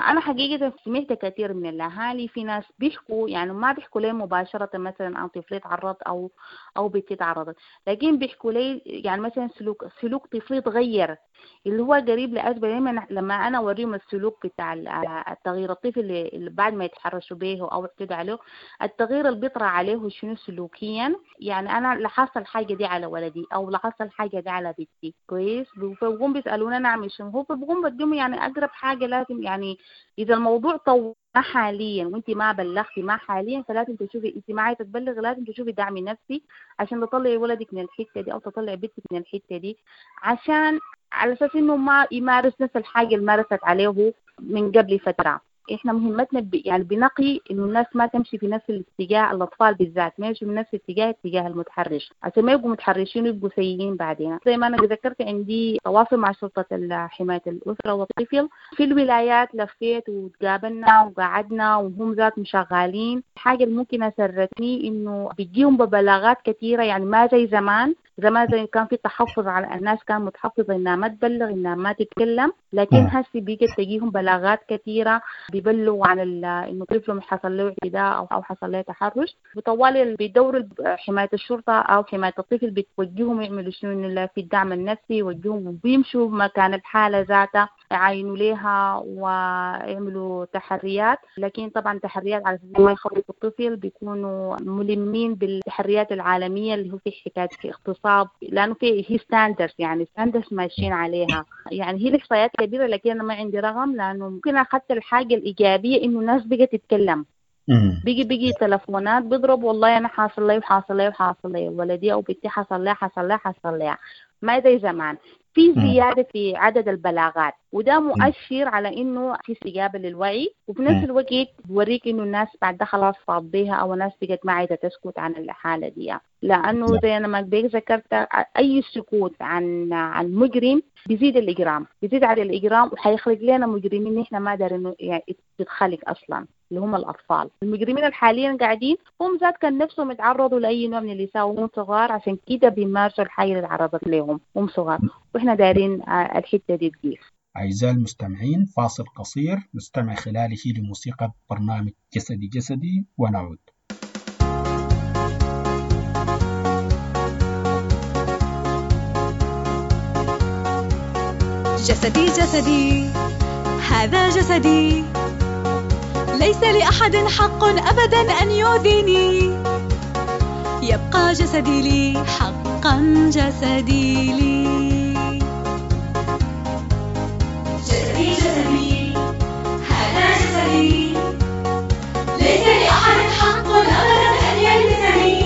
أنا حقيقة سمعت كثير من الأهالي، في ناس بيحكوا، يعني ما بيحكوا لي مباشرة مثلا عن طفلي تعرض أو بنتي تعرضت، لكن بيحكوا لي يعني مثلا سلوك طفلي تغير، اللي هو قريب لأسباب. دايما لما أنا أوريهم السلوك بتاع التغيير الطفل اللي بعد ما يتحرشوا به أو اعتدوا عليه، التغيير اللي بيطرأ عليه شنو سلوكيا، يعني أنا لاحظت الحاجة دي على ولدي أو لاحظت الحاجة دي على بنتي، كويس، فبقوم بيسألوني أنا أعمل شنو، هو بقوم بديهم يعني أقرب حاجة لازم، يعني إذا الموضوع طول حاليا وانت ما بلغتي ما حاليا، فلازم تشوفي انت ما عايزه تبلغ، لازم تشوفي دعم نفسي عشان تطلعي ولدك من الحته دي او تطلعي بنتك من الحته دي، عشان على اساس انه ما يمارس نفس الحاجه اللي مارست عليه من قبل فتره. احنا مهمتنا يعني بنقي انه الناس ما تمشي في نفس الاتجاه، الاطفال بالذات ما يمشوا في نفس الاتجاه اتجاه المتحرش، عشان ما يبقوا متحرشين ويبقوا سيئين بعدين. زي ما انا ذكرت عندي تواصل مع شرطه حمايه الاسره والطفل في الولايات، لفيت وتقابلنا وقعدنا وهم ذات مشغالين. الحاجه اللي ممكن اسرتني انه بيجيهم ببلاغات كثيره، يعني ما زي زمان، زمان زي كان في تحفظ على الناس، كان متحفظة انها ما تبلغ انها ما تتكلم، لكن هسي بقت تجيهم بلاغات كثيره، بيبلغوا عن انه طفلهم حصل له اعتداء او حصل له تحرش، وطوال بيدوروا حمايه الشرطه او حمايه الطفل بتوجههم يعملوا شنو، انه في الدعم النفسي يوجههم وبيمشوا مكان الحاله ذاتها يعاينوا لها ويعملوا تحريات، لكن طبعا تحريات على اساس ما يخوفوا الطفل، بيكونوا ملمين بالتحريات العالميه اللي هو في حكايه في اغتصاب، لانه في هي standards، يعني standards ماشيين عليها. يعني هي الاحصائيات كبيره، لكن انا ما عندي رقم، لانه ممكن اخذت الحاجه الايجابيه انه الناس بقت تتكلم، بيجي تلفونات بيضرب، والله انا حاصل لي وحاصل لي وحاصل لي، ولدي او بنتي حصل لي حصل لي حصل لي، ما زي زمان. في زيادة في عدد البلاغات، وده مؤشر على إنه في استجابة للوعي، وفي نفس الوقت بوريك إنه الناس بعد ده خلاص فاض بيها، أو الناس بقت ما عايزة تسكت عن الحالة دي، لأنه زي أنا ما ذكرت أي سكوت عن مجرم بيزيد الإجرام، بيزيد على الإجرام، وحيخلق لنا مجرمين إحنا ما دارين يعني تتخلق أصلا، اللي هم الأطفال. المجرمين الحاليا قاعدين هم ذات كان نفسهم يتعرضوا لأي نوع من الإساءة وهم صغار، عشان كده بيمارسوا الحاجة اللي تعرضت لهم هم صغار، وإحنا دايرين الحتة دي تقيف. أعزائي المستمعين، فاصل قصير نستمع خلاله لموسيقى برنامج جسدي جسدي ونعود. جسدي جسدي هذا جسدي، ليس لأحد حق أبدا أن يؤذيني، يبقى جسدي لي حق حقا جسدي لي. جسدي جسدي هذا جسدي، ليس لأحد حق أبدا أن يلمسني،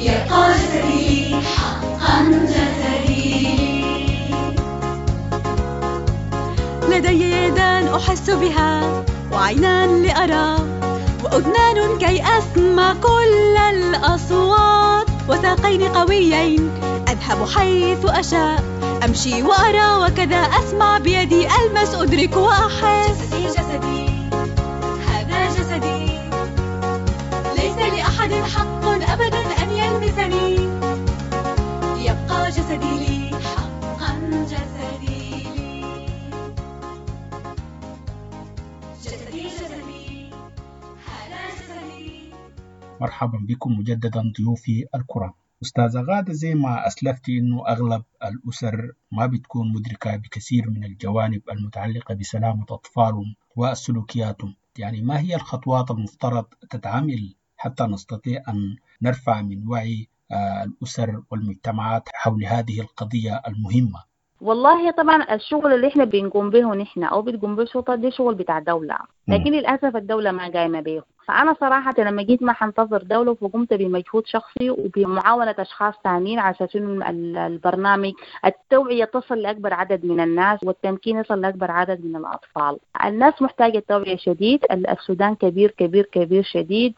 يبقى جسدي حقا جسدي لي. لدي يدان أحس بها، وعينان لأرى، وأذنان كي أسمع كل الأصوات، وساقين قويين أذهب حيث أشاء، أمشي وأرى وكذا أسمع، بيدي ألمس أدرك وأحس. جسدي جسدي هذا جسدي، ليس لأحد حق أبدا أن يلمسني، يبقى جسدي لي حقا جسدي لي. جسدي جسدي هذا جسدي. مرحبا بكم مجددا ضيوفي الكرام. أستاذة غادة، زي ما أسلفتي أنه أغلب الأسر ما بتكون مدركة بكثير من الجوانب المتعلقة بسلامة أطفالهم وسلوكياتهم، يعني ما هي الخطوات المفترض تتعامل حتى نستطيع أن نرفع من وعي الأسر والمجتمعات حول هذه القضية المهمة؟ والله طبعا الشغل اللي احنا بنقوم به نحن او بتقوم به الشرطه دي شغل بتاع دولة، لكن للاسف الدولة ما قايمة به. فانا صراحة لما جيت ما حنتظر دولة، فقمت بمجهود شخصي وبمعاونه اشخاص ثانيين على اساس انه البرنامج التوعية تصل لاكبر عدد من الناس والتمكين يصل لاكبر عدد من الاطفال. الناس محتاجه توعيه شديد، السودان كبير كبير كبير شديد،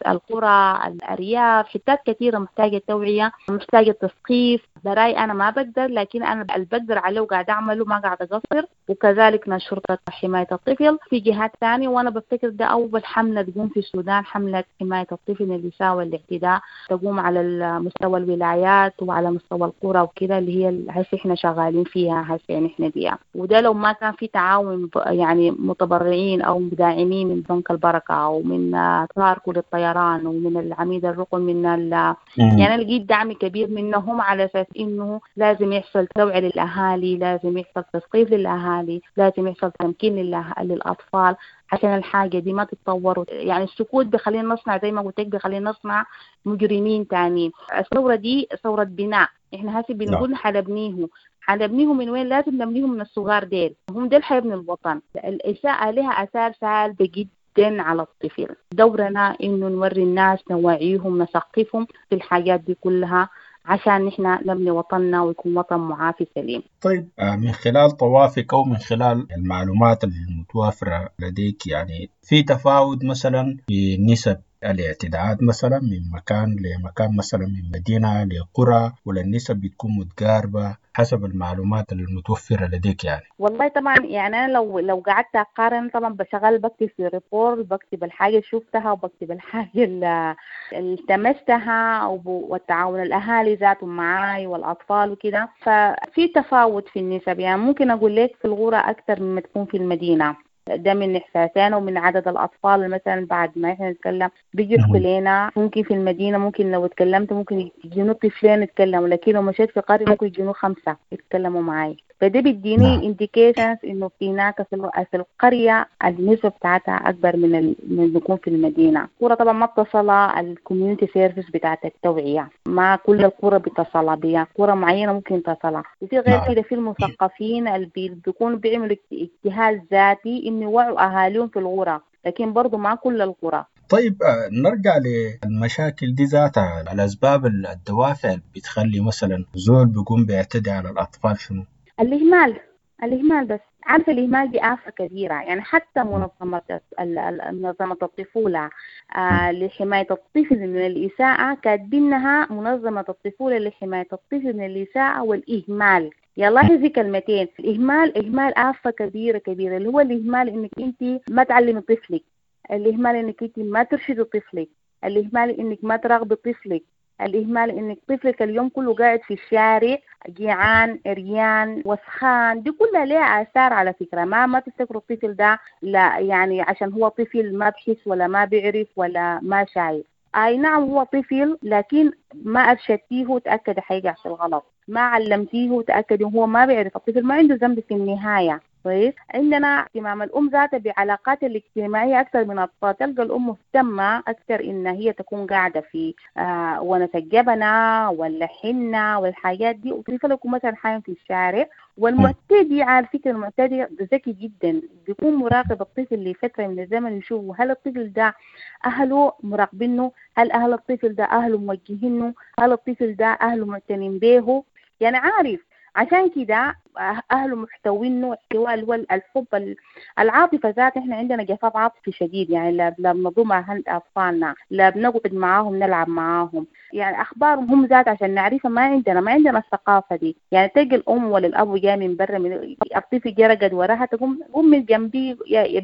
القرى، الارياف، حتات كثيرة محتاجه توعيه، محتاجه تثقيف. براي انا ما بقدر، لكن انا اللي بقدر عليه وقاعد اعمله ما قاعد اقصر. وكذلك شرطه حماية الطفل في جهات ثانية، وانا بفتكر ده اول حملة تقوم في السودان، حملة حماية الطفل من الإساءة والاعتداء، تقوم على مستوى الولايات وعلى مستوى القرى وكده، اللي هي هسه احنا شغالين فيها هسه نحن بيها. وده لو ما كان في تعاون يعني متبرعين أو مداعمين من بنك البركة أو من تاركو للطيران ومن العميد الرقم من يعني لقيت دعم كبير منهم على أساس إنه لازم يحصل توعية للأهالي، لازم يحصل تثقيف للأهالي، لازم يحصل تمكين للأطفال عشان الحاجة دي ما تتطور. يعني السكوت بخلينا نصنع زي ما قلت لك، بخلينا نصنع مجرمين تانيين. الثورة دي ثورة بناء، احنا هسه بنقول حنبنيه، حنبنيه من وين؟ لازم نبنيه من الصغار ديل، هم ديل حيبنوا الوطن. الإساءة لها آثار سالبة جدا على الطفل. دورنا إنه نوري الناس، نوعيهم، نثقفهم في الحاجات دي كلها عشان نحن نبني وطننا ويكون وطن معافي سليم. طيب، من خلال طوافك أو من خلال المعلومات المتوافرة لديك، يعني في تفاوت مثلا في نسب الاعتداءات مثلا من مكان لمكان، مثلا من مدينة لقرى، ولا النسب بتكون متقاربة حسب المعلومات المتوفرة لديك؟ يعني والله طبعا يعني أنا لو قعدت أقارن، طبعا بشغل بكتب في report، بكتب الحاجة اللي شفتها وبكتب الحاجة اللي التمستها، والتعاون الأهالي ذاتهم معاي والأطفال وكده، ففي تفاوت في النسب. يعني ممكن أقول لك في الغرة أكثر مما تكون في المدينة، ده من إحساسنا ومن عدد الأطفال. مثلا بعد ما إحنا نتكلم بيجي يحكوا لنا، ممكن في المدينة ممكن لو اتكلمت ممكن يجينوا طفلين يتكلموا، لكن لو مشيت في قرية ممكن يجينوا 5 يتكلموا معي. فده بيديني indications إنه في هناك في القرية النسبة بتاعتها أكبر من بيكون في المدينة. القرى طبعا ما بتصلها ال community service بتاعت التوعية، ما كل القرى بتصلها بيها، قرى معينة ممكن تصلها. وفي غير كده في المثقفين اللي بيكونوا بيعملوا اجتهاد ذاتي إنه يوعوا أهاليهم في القرى، لكن برضو ما كل القرى. طيب، نرجع للمشاكل دي ذاتها، الأسباب الدوافع اللي بتخلي مثلا زول بيقوم بيعتدي على الأطفال شنو؟ الإهمال بس. عارفة الإهمال دي آفة كبيرة. يعني حتى منظمة الطفولة لحماية الطفل من الإساءة كاتبينها منظمة الطفولة لحماية الطفل من الإساءة والإهمال. يلا في كلمتين، الإهمال، إهمال آفة كبيرة كبيرة، اللي هو الإهمال إنك أنت ما تعلمي طفلك، الإهمال إنك أنت ما ترشدي طفلك، الإهمال إنك ما تراقبي طفلك، الإهمال إنك طفلك اليوم كله قاعد في الشارع جيعان عريان وسخان. دي كلها لها آثار على فكرة. ما تفتكروا الطفل ده لا يعني عشان هو طفل ما بحس ولا ما بيعرف ولا ما شايف. أي نعم هو طفل، لكن ما أرشدتيه تأكد حيقع في الغلط، ما علمتيه تأكد هو ما بيعرف. الطفل ما عنده ذنب في النهاية. كويس. عندنا اهتمام الأم ذاتها بعلاقات الاجتماعية أكثر من الأطفال. تلقى الأم مهتمة أكثر إن هي تكون قاعدة في ونس الجبنة ولا حنة والحاجات دي، وطفل يكون مثلا حايم في الشارع. والمعتدي على فكرة المعتدي ذكي جدا، بيكون مراقب الطفل لفترة من الزمن، يشوف هل الطفل ده أهله مراقبينه، هل أهل الطفل ده أهله موجهينه، هل الطفل ده أهله معتنين به، يعني عارف. عشان كده أهله محتوينه احتواء اللي هو الحب، العاطفة ذات. احنا عندنا جفاف عاطفي شديد، يعني لا بنضم أهل أطفالنا، لا بنقعد معاهم نلعب معاهم، يعني أخبارهم هم ذات عشان نعرفها ما عندنا الثقافة دي. يعني تلقى الأم ولا الأب جاي من برا، من الطفل جا رقد وراها، تقوم قوم من جنبي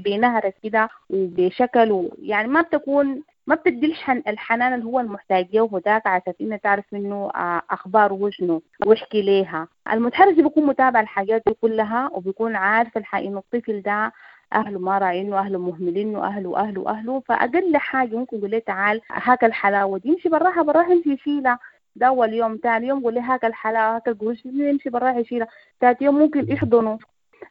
بنهرة كده وبشكل، يعني ما بتكون ما بتدي الحنان اللي هو المحتاج له وذاك، عشان انه تعرف منه اخباره وشنو واحكي ليها. المتحرش بيكون متابع الحاجات دي كلها، وبيكون عارف الحقيقة انه الطفل ده اهله ما راعينه، اهله مهملينه، اهله اهله اهله. فاقل حاجه ممكن يقول له تعال هاك الحلاوه دي، يمشي براها براها يمشي يشيلها. ده اول يوم. ثاني يوم قول له هاك الحلاوه هاك القروش، يمشي براها يشيلها. ثالث يوم ممكن يحضنه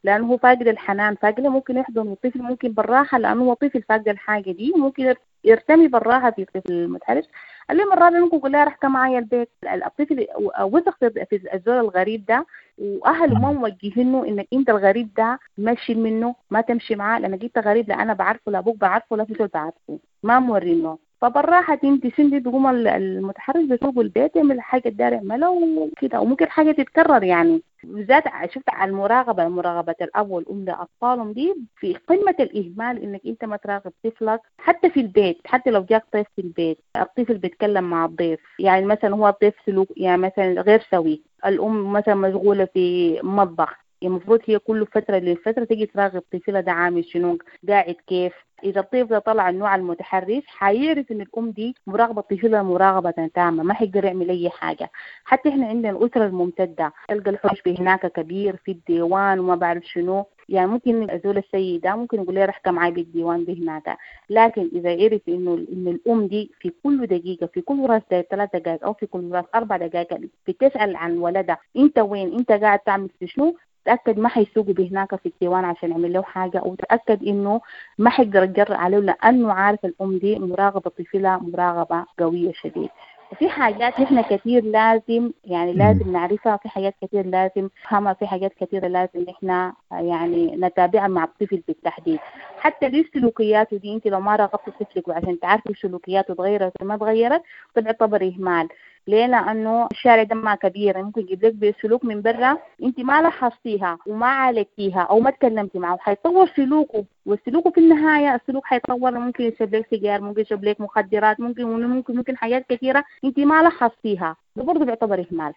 لانه هو فاقد الحنان، فاقد ممكن يحضن الطفل، ممكن بالراحه لانه هو طفل فاقد الحاجه دي، ممكن يرتمي بالراحه في الطفل المتحرش. اليوم الرابع ممكن يقول لها رح معايا البيت. الطفل وثق في الزول الغريب ده، واهله ما موجهينه انك انت الغريب ده ما تشيل منه، ما تمشي معاه، لانك انت غريب، لا انا بعرفه لا ابوك بعرفه لا في زول بعرفه، ما مورينه. فبالراحه تمشي سندي، بيقوم المتحرش بيسوق البيت، يعمل حاجه الدار يعملها وكده، وممكن حاجه تتكرر. يعني بالذات شفت على المراقبه، مراقبه الاب والام لاطفالهم دي في قمه الاهمال، انك انت ما تراقب طفلك حتى في البيت. حتى لو جاك طفل في البيت، الطفل بيتكلم مع الضيف، يعني مثلا هو الضيف سلوك يعني مثلا غير سوي، الام مثلا مشغوله في مطبخ، المفروض هي كل فترة لفترة تيجي تراقب طفلها ده عامل شنو، قاعد كيف. إذا الطفل ده طلع النوع المتحرش، حيعرف إن الأم دي مراقبة طفلها مراقبة تامة، ما حيقدر يعمل أي حاجة. حتى إحنا عندنا الأسرة الممتدة، تلقى الحوش هناك كبير في الديوان وما بعرف شنو، يعني ممكن أزول السيدة ممكن يقول لها رح معي بالديوان بهناك، لكن إذا عرف إنه إن الأم دي في كل دقيقة، في كل راس 3 دقائق أو في كل راس 4 دقائق بتسأل عن ولدها، أنت وين، أنت قاعد تعمل في شنو، تأكد ما حيسوقوا بهناك في الديوان عشان يعمل له حاجة، أو تأكد إنه ما حيقدر يتجرأ عليه، لأنه عارف الأم دي مراقبة طفلها مراقبة قوية شديد. وفي حاجات نحن كثير لازم يعني لازم نعرفها، في حاجات كثير لازم نفهمها، في حاجات كثيرة لازم نحن يعني نتابعها مع الطفل بالتحديد. حتى ليش سلوكياته دي، انت لو ما راقبت طفلك وعشان تعرفي سلوكياته تغيرت ولا ما تغيرت، تعتبر إهمال. ليه؟ لأنه الشارع ده ما كبير، ممكن يجيب لك بسلوك من برا انت ما لاحظتيها وما عالجتيها او ما تكلمتي معه، حيطور سلوكه، والسلوك في النهاية السلوك حيتطور، ممكن يشرب لك سيجار، ممكن يشرب لك مخدرات، ممكن ممكن حاجات كثيرة انت ما لاحظتيها، ده برضه بيعتبر إهمال.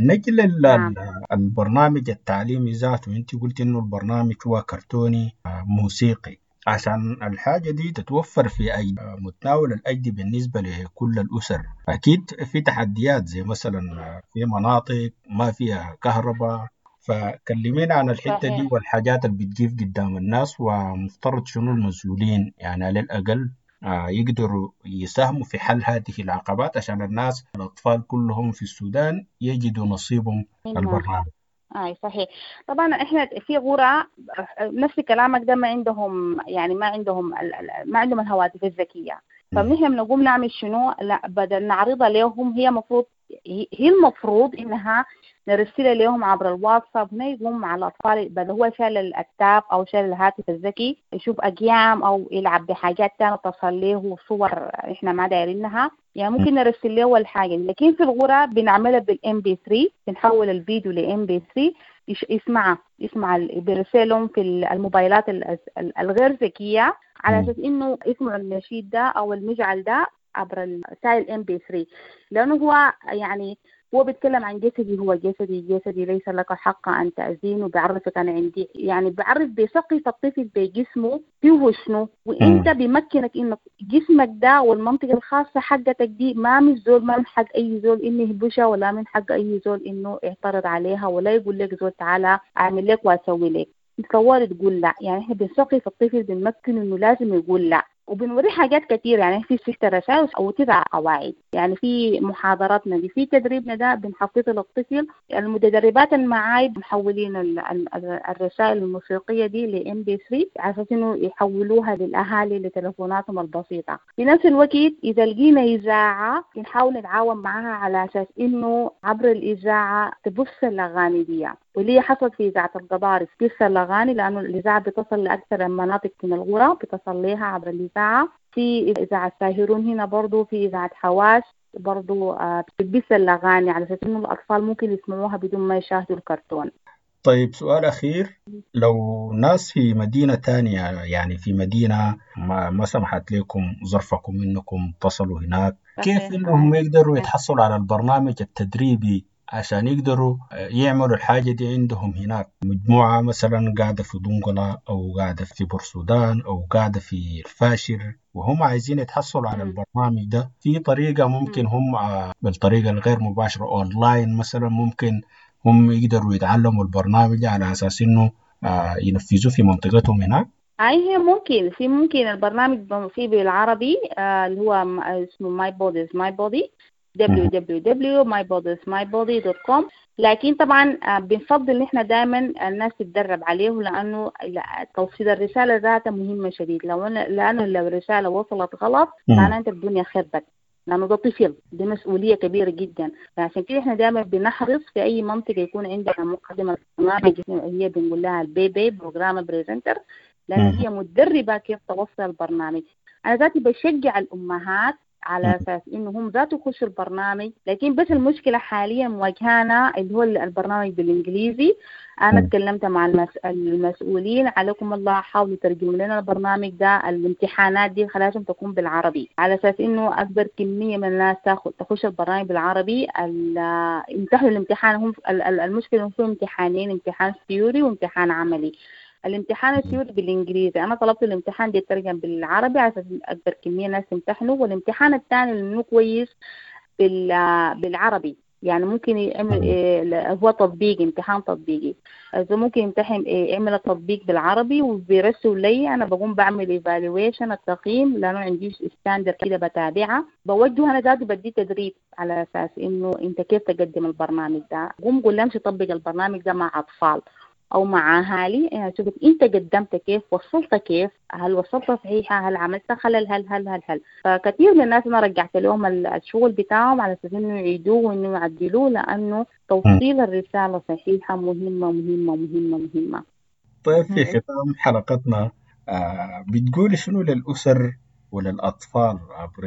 نجل البرنامج التعليمي ذاته، انت قلت انه البرنامج هو كرتوني موسيقي، عشان الحاجة دي تتوفر في أي متناول الأيدي بالنسبة لكل الأسر. أكيد في تحديات زي مثلا في مناطق ما فيها كهرباء، فكلمينا عن الحتة دي والحاجات اللي بتجيب قدام الناس، ومفترض شنو المسؤولين يعني على الأقل يقدروا يساهموا في حل هذه العقبات عشان الناس الأطفال كلهم في السودان يجدوا نصيبهم البرنامج. اي صحيح. طبعا احنا في غرة نفس كلامك ده، ما عندهم يعني ما عندهم الهواتف الذكيه، فنحن بنقوم نعمل شنو؟ لا، بدل نعرضها لهم، هي المفروض هي المفروض انها نرسلها لهم عبر الواتساب، هنا يقوم مع الاطفال، بدل هو شال التاب او شال الهاتف الذكي يشوف اقيام او يلعب بحاجات ثانيه تصل له صور احنا ما دايرينها، يعني ممكن نرسل له الحاجه. لكن في الغرة بنعملها بال MP3، بنحول الفيديو ل MP3، يسمع بيرسلهم في الموبايلات الغير ذكيه، على اساس انه يسمعوا النشيد ده او المجعل ده عبر السائل MP3، لانه هو يعني هو بيتكلم عن جسدي، هو جسدي، جسدي ليس لك حق أن تأذينه، وبيعرفك أنا عندي يعني بعرف بيثقف الطفل بجسمه فيه شنو، وإنت بيمكنك إنه جسمك ده والمنطقة الخاصة حقتك دي ما من زول، ما من حق أي زول إنه يهبشها، ولا من حق أي زول إنه يعترض عليها، ولا يقول لك زول تعالى أعمل لك وأسوي لك. تصور تقول لا، يعني إحنا بنثقف الطفل بنمكنه إنه لازم يقول لا. وبنوريه حاجات كثيرة، يعني في 6 رسائل أو 9 قواعد. يعني في محاضراتنا دي، في تدريبنا ده بنحفظه للطفل. المتدربات المعاي محولين الرسائل الموسيقية دي ل MP3 على أساس إنه يحولوها للأهالي لتلفوناتهم البسيطة. في نفس الوقت إذا لقينا إذاعة بنحاول نتعاون معها على أساس إنه عبر الإذاعة تبث الأغاني دي، واللي حصلت في إذاعة القضارف بث الأغاني، لأنه الإذاعة بتصل لأكثر المناطق من القرى، بتصل لها عبر الإذاعة. في إذاعة ساهرون هنا برضو، في إذاعة حواس برضو بتبث الأغاني على أساس إنه الأطفال ممكن يسمعوها بدون ما يشاهدوا الكرتون. طيب سؤال أخير، لو ناس في مدينة تانية، يعني في مدينة ما سمحت لكم ظرفكم إنكم تصلوا هناك، كيف إنهم يقدروا يتحصلوا على البرنامج التدريبي عشان يقدروا يعملوا الحاجة دي عندهم هناك؟ مجموعة مثلا قاعدة في دنقلة أو قاعدة في بورسودان أو قاعدة في الفاشر وهم عايزين يتحصلوا على البرنامج ده، في طريقة ممكن هم بالطريقة الغير مباشرة أونلاين مثلا ممكن هم يقدروا يتعلموا البرنامج على أساس إنه ينفذوه في منطقتهم هناك؟ أي هي ممكن، في ممكن البرنامج فيه بالعربي اللي هو اسمه My Body is My Body، www.mybodiesmybody.com. لكن طبعا بنفضل ان احنا دائما الناس تتدرب عليه، لانه توصيل الرساله ذاتها مهمه شديد. لانه لو الرساله وصلت غلط معناته انت الدنيا خربت، لانه ده طفل، دي مسؤوليه كبيره جدا. فعشان كده احنا دائما بنحرص في اي منطقه يكون عندنا مقدمه برنامج، هي بنقول لها ال PP program presenter، لان هي متدربه كيف توصل البرنامج. انا ذاتي بشجع الامهات على اساس انه هم ذاته يخشوا البرنامج، لكن بس المشكله حاليا مواجهانا اللي هو البرنامج بالانجليزي. انا تكلمت مع المسؤولين، عليكم الله حاولوا ترجموا لنا البرنامج ده، الامتحانات دي لازم تكون بالعربي على اساس انه اكبر كميه من الناس تخش البرنامج بالعربي. يمتحنوا الامتحان، هم المشكله انه في امتحانين، امتحان theory وامتحان عملي. الامتحان ال theory بالانجليزي، انا طلبت الامتحان دي يترجم بالعربي عشان اكبر كميه ناس تمتحنوا، والامتحان الثاني اللي كويس بالعربي، يعني ممكن يعمل هو تطبيقي، امتحان تطبيقي، اذا ممكن يمتحن يعمل التطبيق بالعربي وبيرسل لي، انا بقوم بعمل evaluation التقييم، لانه عندي standard كده بتابعها، بوجهه انا ذاتي بدي تدريب على اساس انه انت كيف تقدم البرنامج ده. قوم قول لهم طبق البرنامج ده مع اطفال او مع اهالي، يعني شوف انت قدمت كيف، وصلت كيف، هل وصلت صحيحه، هل عملت خلل، هل هل هل هل. فكثير من الناس انا رجعت لهم الشغل بتاعهم على اساس انه يعيدوه وانه يعدلوه، لانه توصيل الرساله صحيحه مهمه مهمه مهمه مهمه. طيب في ختام حلقتنا بتقولي شنو للاسر وللاطفال عبر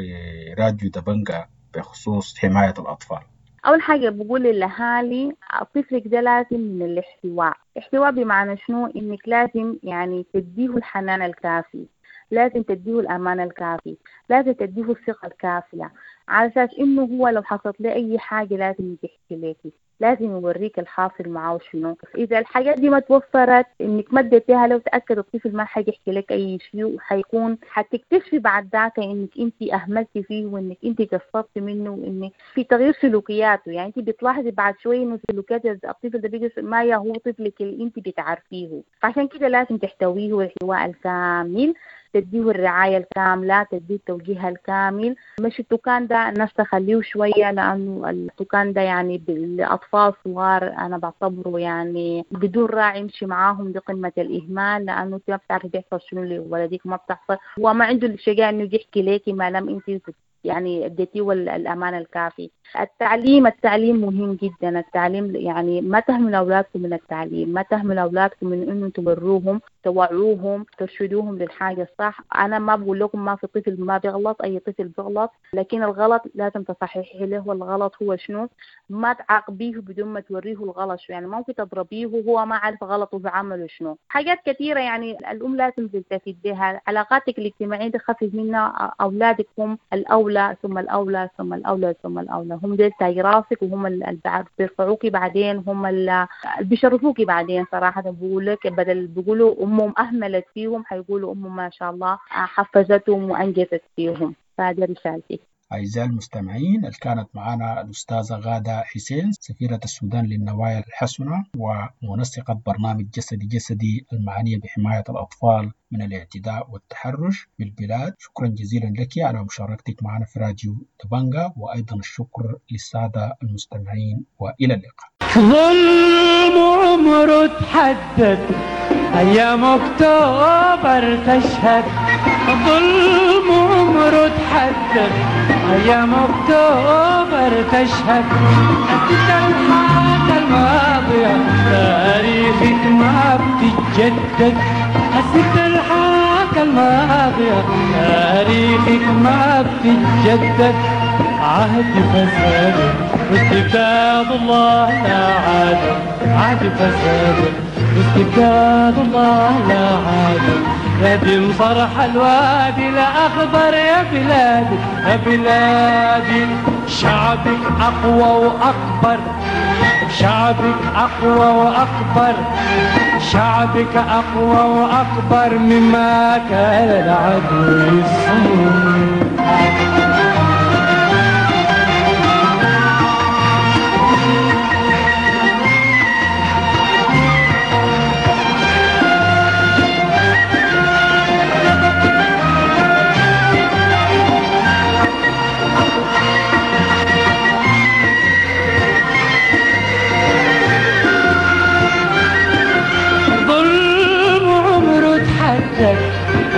راديو دبنجا بخصوص حمايه الاطفال؟ أول حاجة بقول للأهالي طفلك ده لازم من الاحتواء. احتواء بمعنى شنو؟ إنك لازم يعني تديه الحنان الكافي، لازم تديه الأمان الكافي، لازم تديه الثقة الكافية، على أساس إنه هو لو حصلت له أي حاجة لازم يحكي لك، لازم يوريك الحاصل معه شنو. إذا الحاجات دي ما توفرت إنك ما اديتيها لو تأكد الطفل ما حيحكي لك أي شيء، وحيكون حتكتشفي بعد ذاك إنك أنت أهملتي فيه وإنك أنت قصرتي منه وإنك في تغيير سلوكياته. يعني أنت بتلاحظي بعد شوي إنه سلوكيات الطفل ده بيجي ما هو طفلك اللي أنت بتعرفيه. فعشان كده لازم تحتويه الاحتواء الكامل، تديه الرعاية الكاملة، تديه التوجيه الكامل. مش التوكان ده الناس تخليه شوية، لأنه التوكان ده يعني بالأطفال صغار أنا بعتبره يعني بدون راعي يمشي معاهم، دي قمة الإهمال، لأنه أنت ما بتعرفي بيحصل شنو لولدك، ما بتحصل هو ما عنده الشجاعة إنه يحكي لك ما لم أنت يعني اديتيه الأمان الكافي. التعليم مهم جدا. التعليم يعني ما تهملوا أولادكم من التعليم، ما تهملوا أولادكم من إنه تبروهم، توعوهم، ترشدوهم للحاجة الصح. أنا ما بقول لكم ما في طفل ما بيغلط، أي طفل بيغلط، لكن الغلط لازم تصححي له الغلط هو شنو، ما تعاقبيه بدون ما توريه الغلط شو، يعني ممكن تضربيه وهو ما عارف غلطه بعمله شنو. حاجات كثيرة يعني الأم لازم تلتفت بها. علاقاتك الاجتماعية تخفف منها، أولادك هم الأولى ثم الأولى ثم الأولى ثم الأولى، هم ديل تاج راسك، وهم اللي بيرفعوكي بعدين، هم اللي بيشرفوكي بعدين. صراحة بقول لك بدل بيقولوا أمهم أهملت فيهم، حيقولوا أمهم ما شاء الله حفزتهم وأنجزت فيهم. فهذه رسالتي. أعزائي المستمعين، اللي كانت معنا الأستاذة غادة حسين، سفيرة السودان للنوايا الحسنة ومنسقة برنامج جسدي جسدي المعنية بحماية الأطفال من الاعتداء والتحرش بالبلاد. شكرا جزيلا لك على مشاركتك معنا في راديو دبنجا، وأيضا الشكر للسادة المستمعين، وإلى اللقاء. ظلم عمره تحدد، أيام أكتوبر تشهد. ظلم عمره تحدد، أيام أكتوبر تشهد. أنت الحاجة الماضية تاريخك ما بتتجدد. حسيت الحاجة الماضية تاريخك ما بتتجدد. عهد فساد واستبداد الله لا عاد. عهد فساد واستبداد الله لا عاد. ندم فرح الوادي الأخضر يا بلادي يا بلادي. شعبك أقوى وأكبر، شعبك أقوى وأكبر، شعبك أقوى وأكبر مما كان العدو يصور.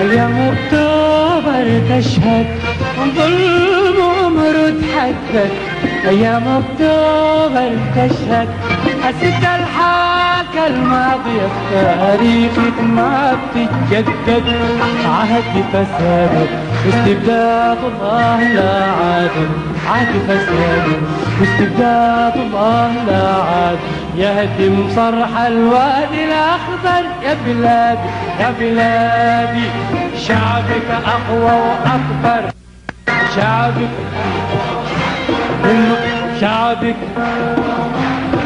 أيام أكتوبر تشهد. ظلم عمره تحدد، أيام أكتوبر تشهد. حسيت الحاكة الماضية تاريخك ما بتتجدد. عهد فساد واستبداد الله لا عاد. عهد فساد واستبداد الله لا عاد. يهدم صرح الوادي الأخضر يا بلادي يا بلادي. شعبك أقوى وأكبر، شعبك شعبك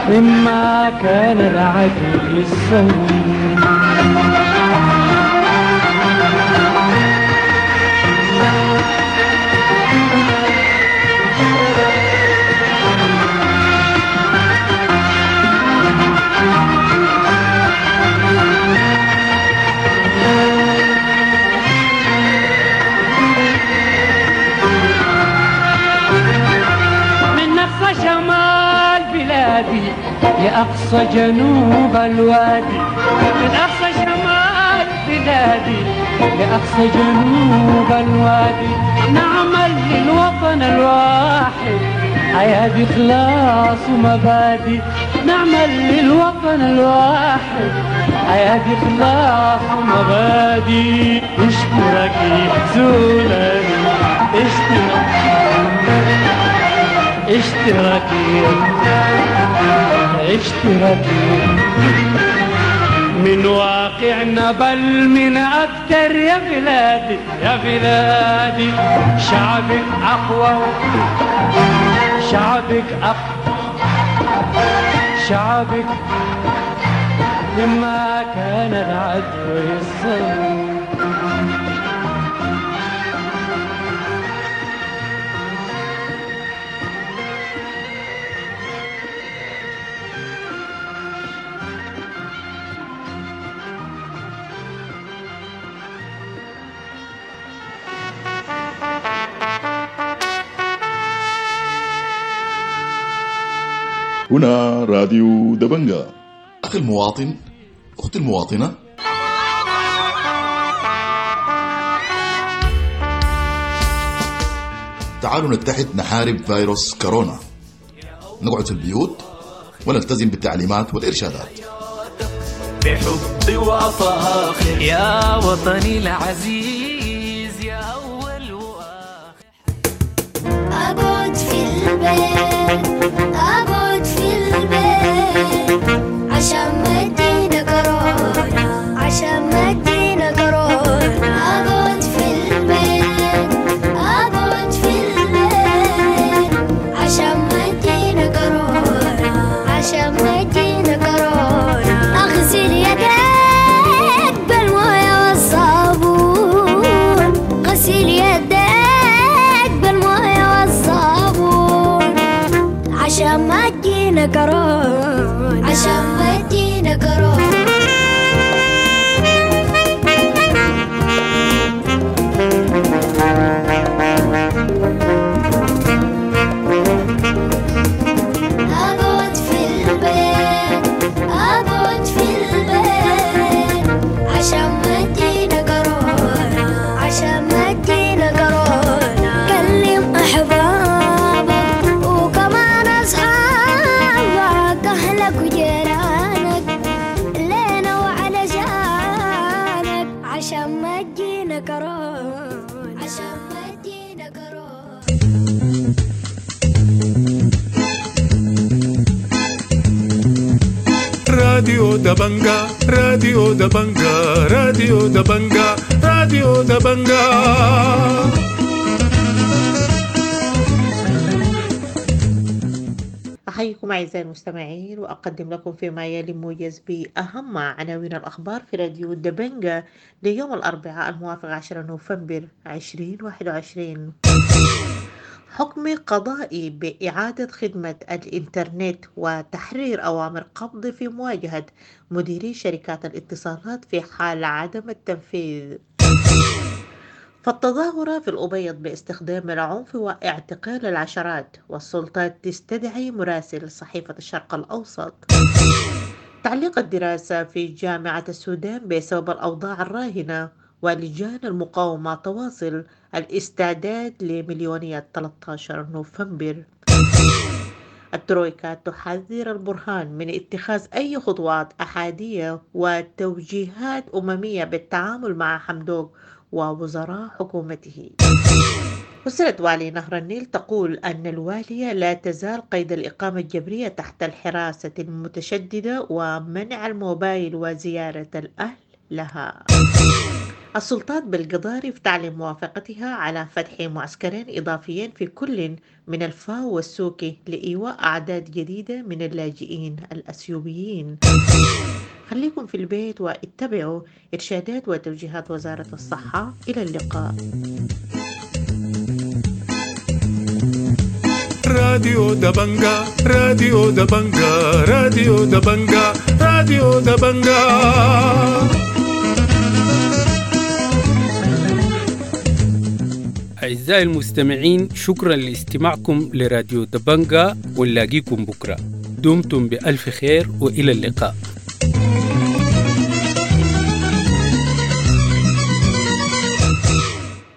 مما كان العدو يصور. لأقصى جنوب الوادي، من أقصى شمال بلادي لأقصى جنوب الوادي. نعمل للوطن الواحد حياة إخلاص ومبادئ. نعمل للوطن الواحد حياة إخلاص ومبادئ. اشتراكي سوداني، اشتراكي اشتراكي من واقعنا بل من أكتر يا بلادي يا بلادي. شعبك أقوى، شعبك أقوى، شعبك مما كان العدو يصور. هنا راديو دبنجا. أخي المواطن، أختي المواطنة، تعالوا نتحد نحارب فيروس كورونا. نقعد في البيوت ونلتزم بالتعليمات والإرشادات. بحب وفاخر يا وطني العزيز يا أول وآخر. أقعد في البيت، أقعد في البيت عشان ما تجينا كورونا، عشان ما تجينا كورونا. أقعد في البيت، أقعد في البيت عشان ما تجينا كورونا، عشان ما تجينا كورونا. أغسل يديك بالموية والصابون، غسل يديك بالموية والصابون. كورونا، عشان ما تجينا كورونا. أقعد في البيت، أقعد في البيت، عشان ما تجينا كورونا، عشان ما تجينا كورونا. كلم أحبابك وكمان أصحابك، أهلك وجيرانك، لينا وعلشانك، عشان ما تجينا كورونا، عشان ما تجينا كورونا. راديو دبنجا، راديو دبنجا، راديو دبنجا، راديو دبنجا. أحييكم أعزائي المستمعين، وأقدم لكم فيما يلي موجز بأهم عناوين الأخبار في راديو دبنجا ليوم الأربعاء الموافق 10 نوفمبر 2021. حكم قضائي بإعادة خدمة الإنترنت وتحرير أوامر قبض في مواجهة مديري شركات الاتصالات في حال عدم التنفيذ. فالتظاهرة في الأبيض باستخدام العنف واعتقال العشرات، والسلطات تستدعي مراسل صحيفة الشرق الأوسط. تعليق الدراسة في جامعة السودان بسبب الأوضاع الراهنة، ولجان المقاومة تواصل الاستعداد لمليونية 13 نوفمبر. الترويكا تحذر البرهان من اتخاذ أي خطوات أحادية وتوجيهات أممية بالتعامل مع حمدوك ووزراء حكومته. أسرة والي نهر النيل تقول أن الوالية لا تزال قيد الإقامة الجبرية تحت الحراسة المتشددة ومنع الموبايل وزيارة الأهل لها. السلطات بالقضارف تعلن موافقتها على فتح معسكرين إضافيين في كل من الفاو والسوكي لإيواء أعداد جديدة من اللاجئين الأثيوبيين. خليكم في البيت واتبعوا إرشادات وتوجيهات وزارة الصحة. إلى اللقاء. راديو دبنجا، راديو دبنجا، راديو دبنجا، راديو دبنجا. أعزائي المستمعين، شكرا لاستماعكم لراديو دبنجا، ونلاقيكم بكرة. دمتم بألف خير وإلى اللقاء.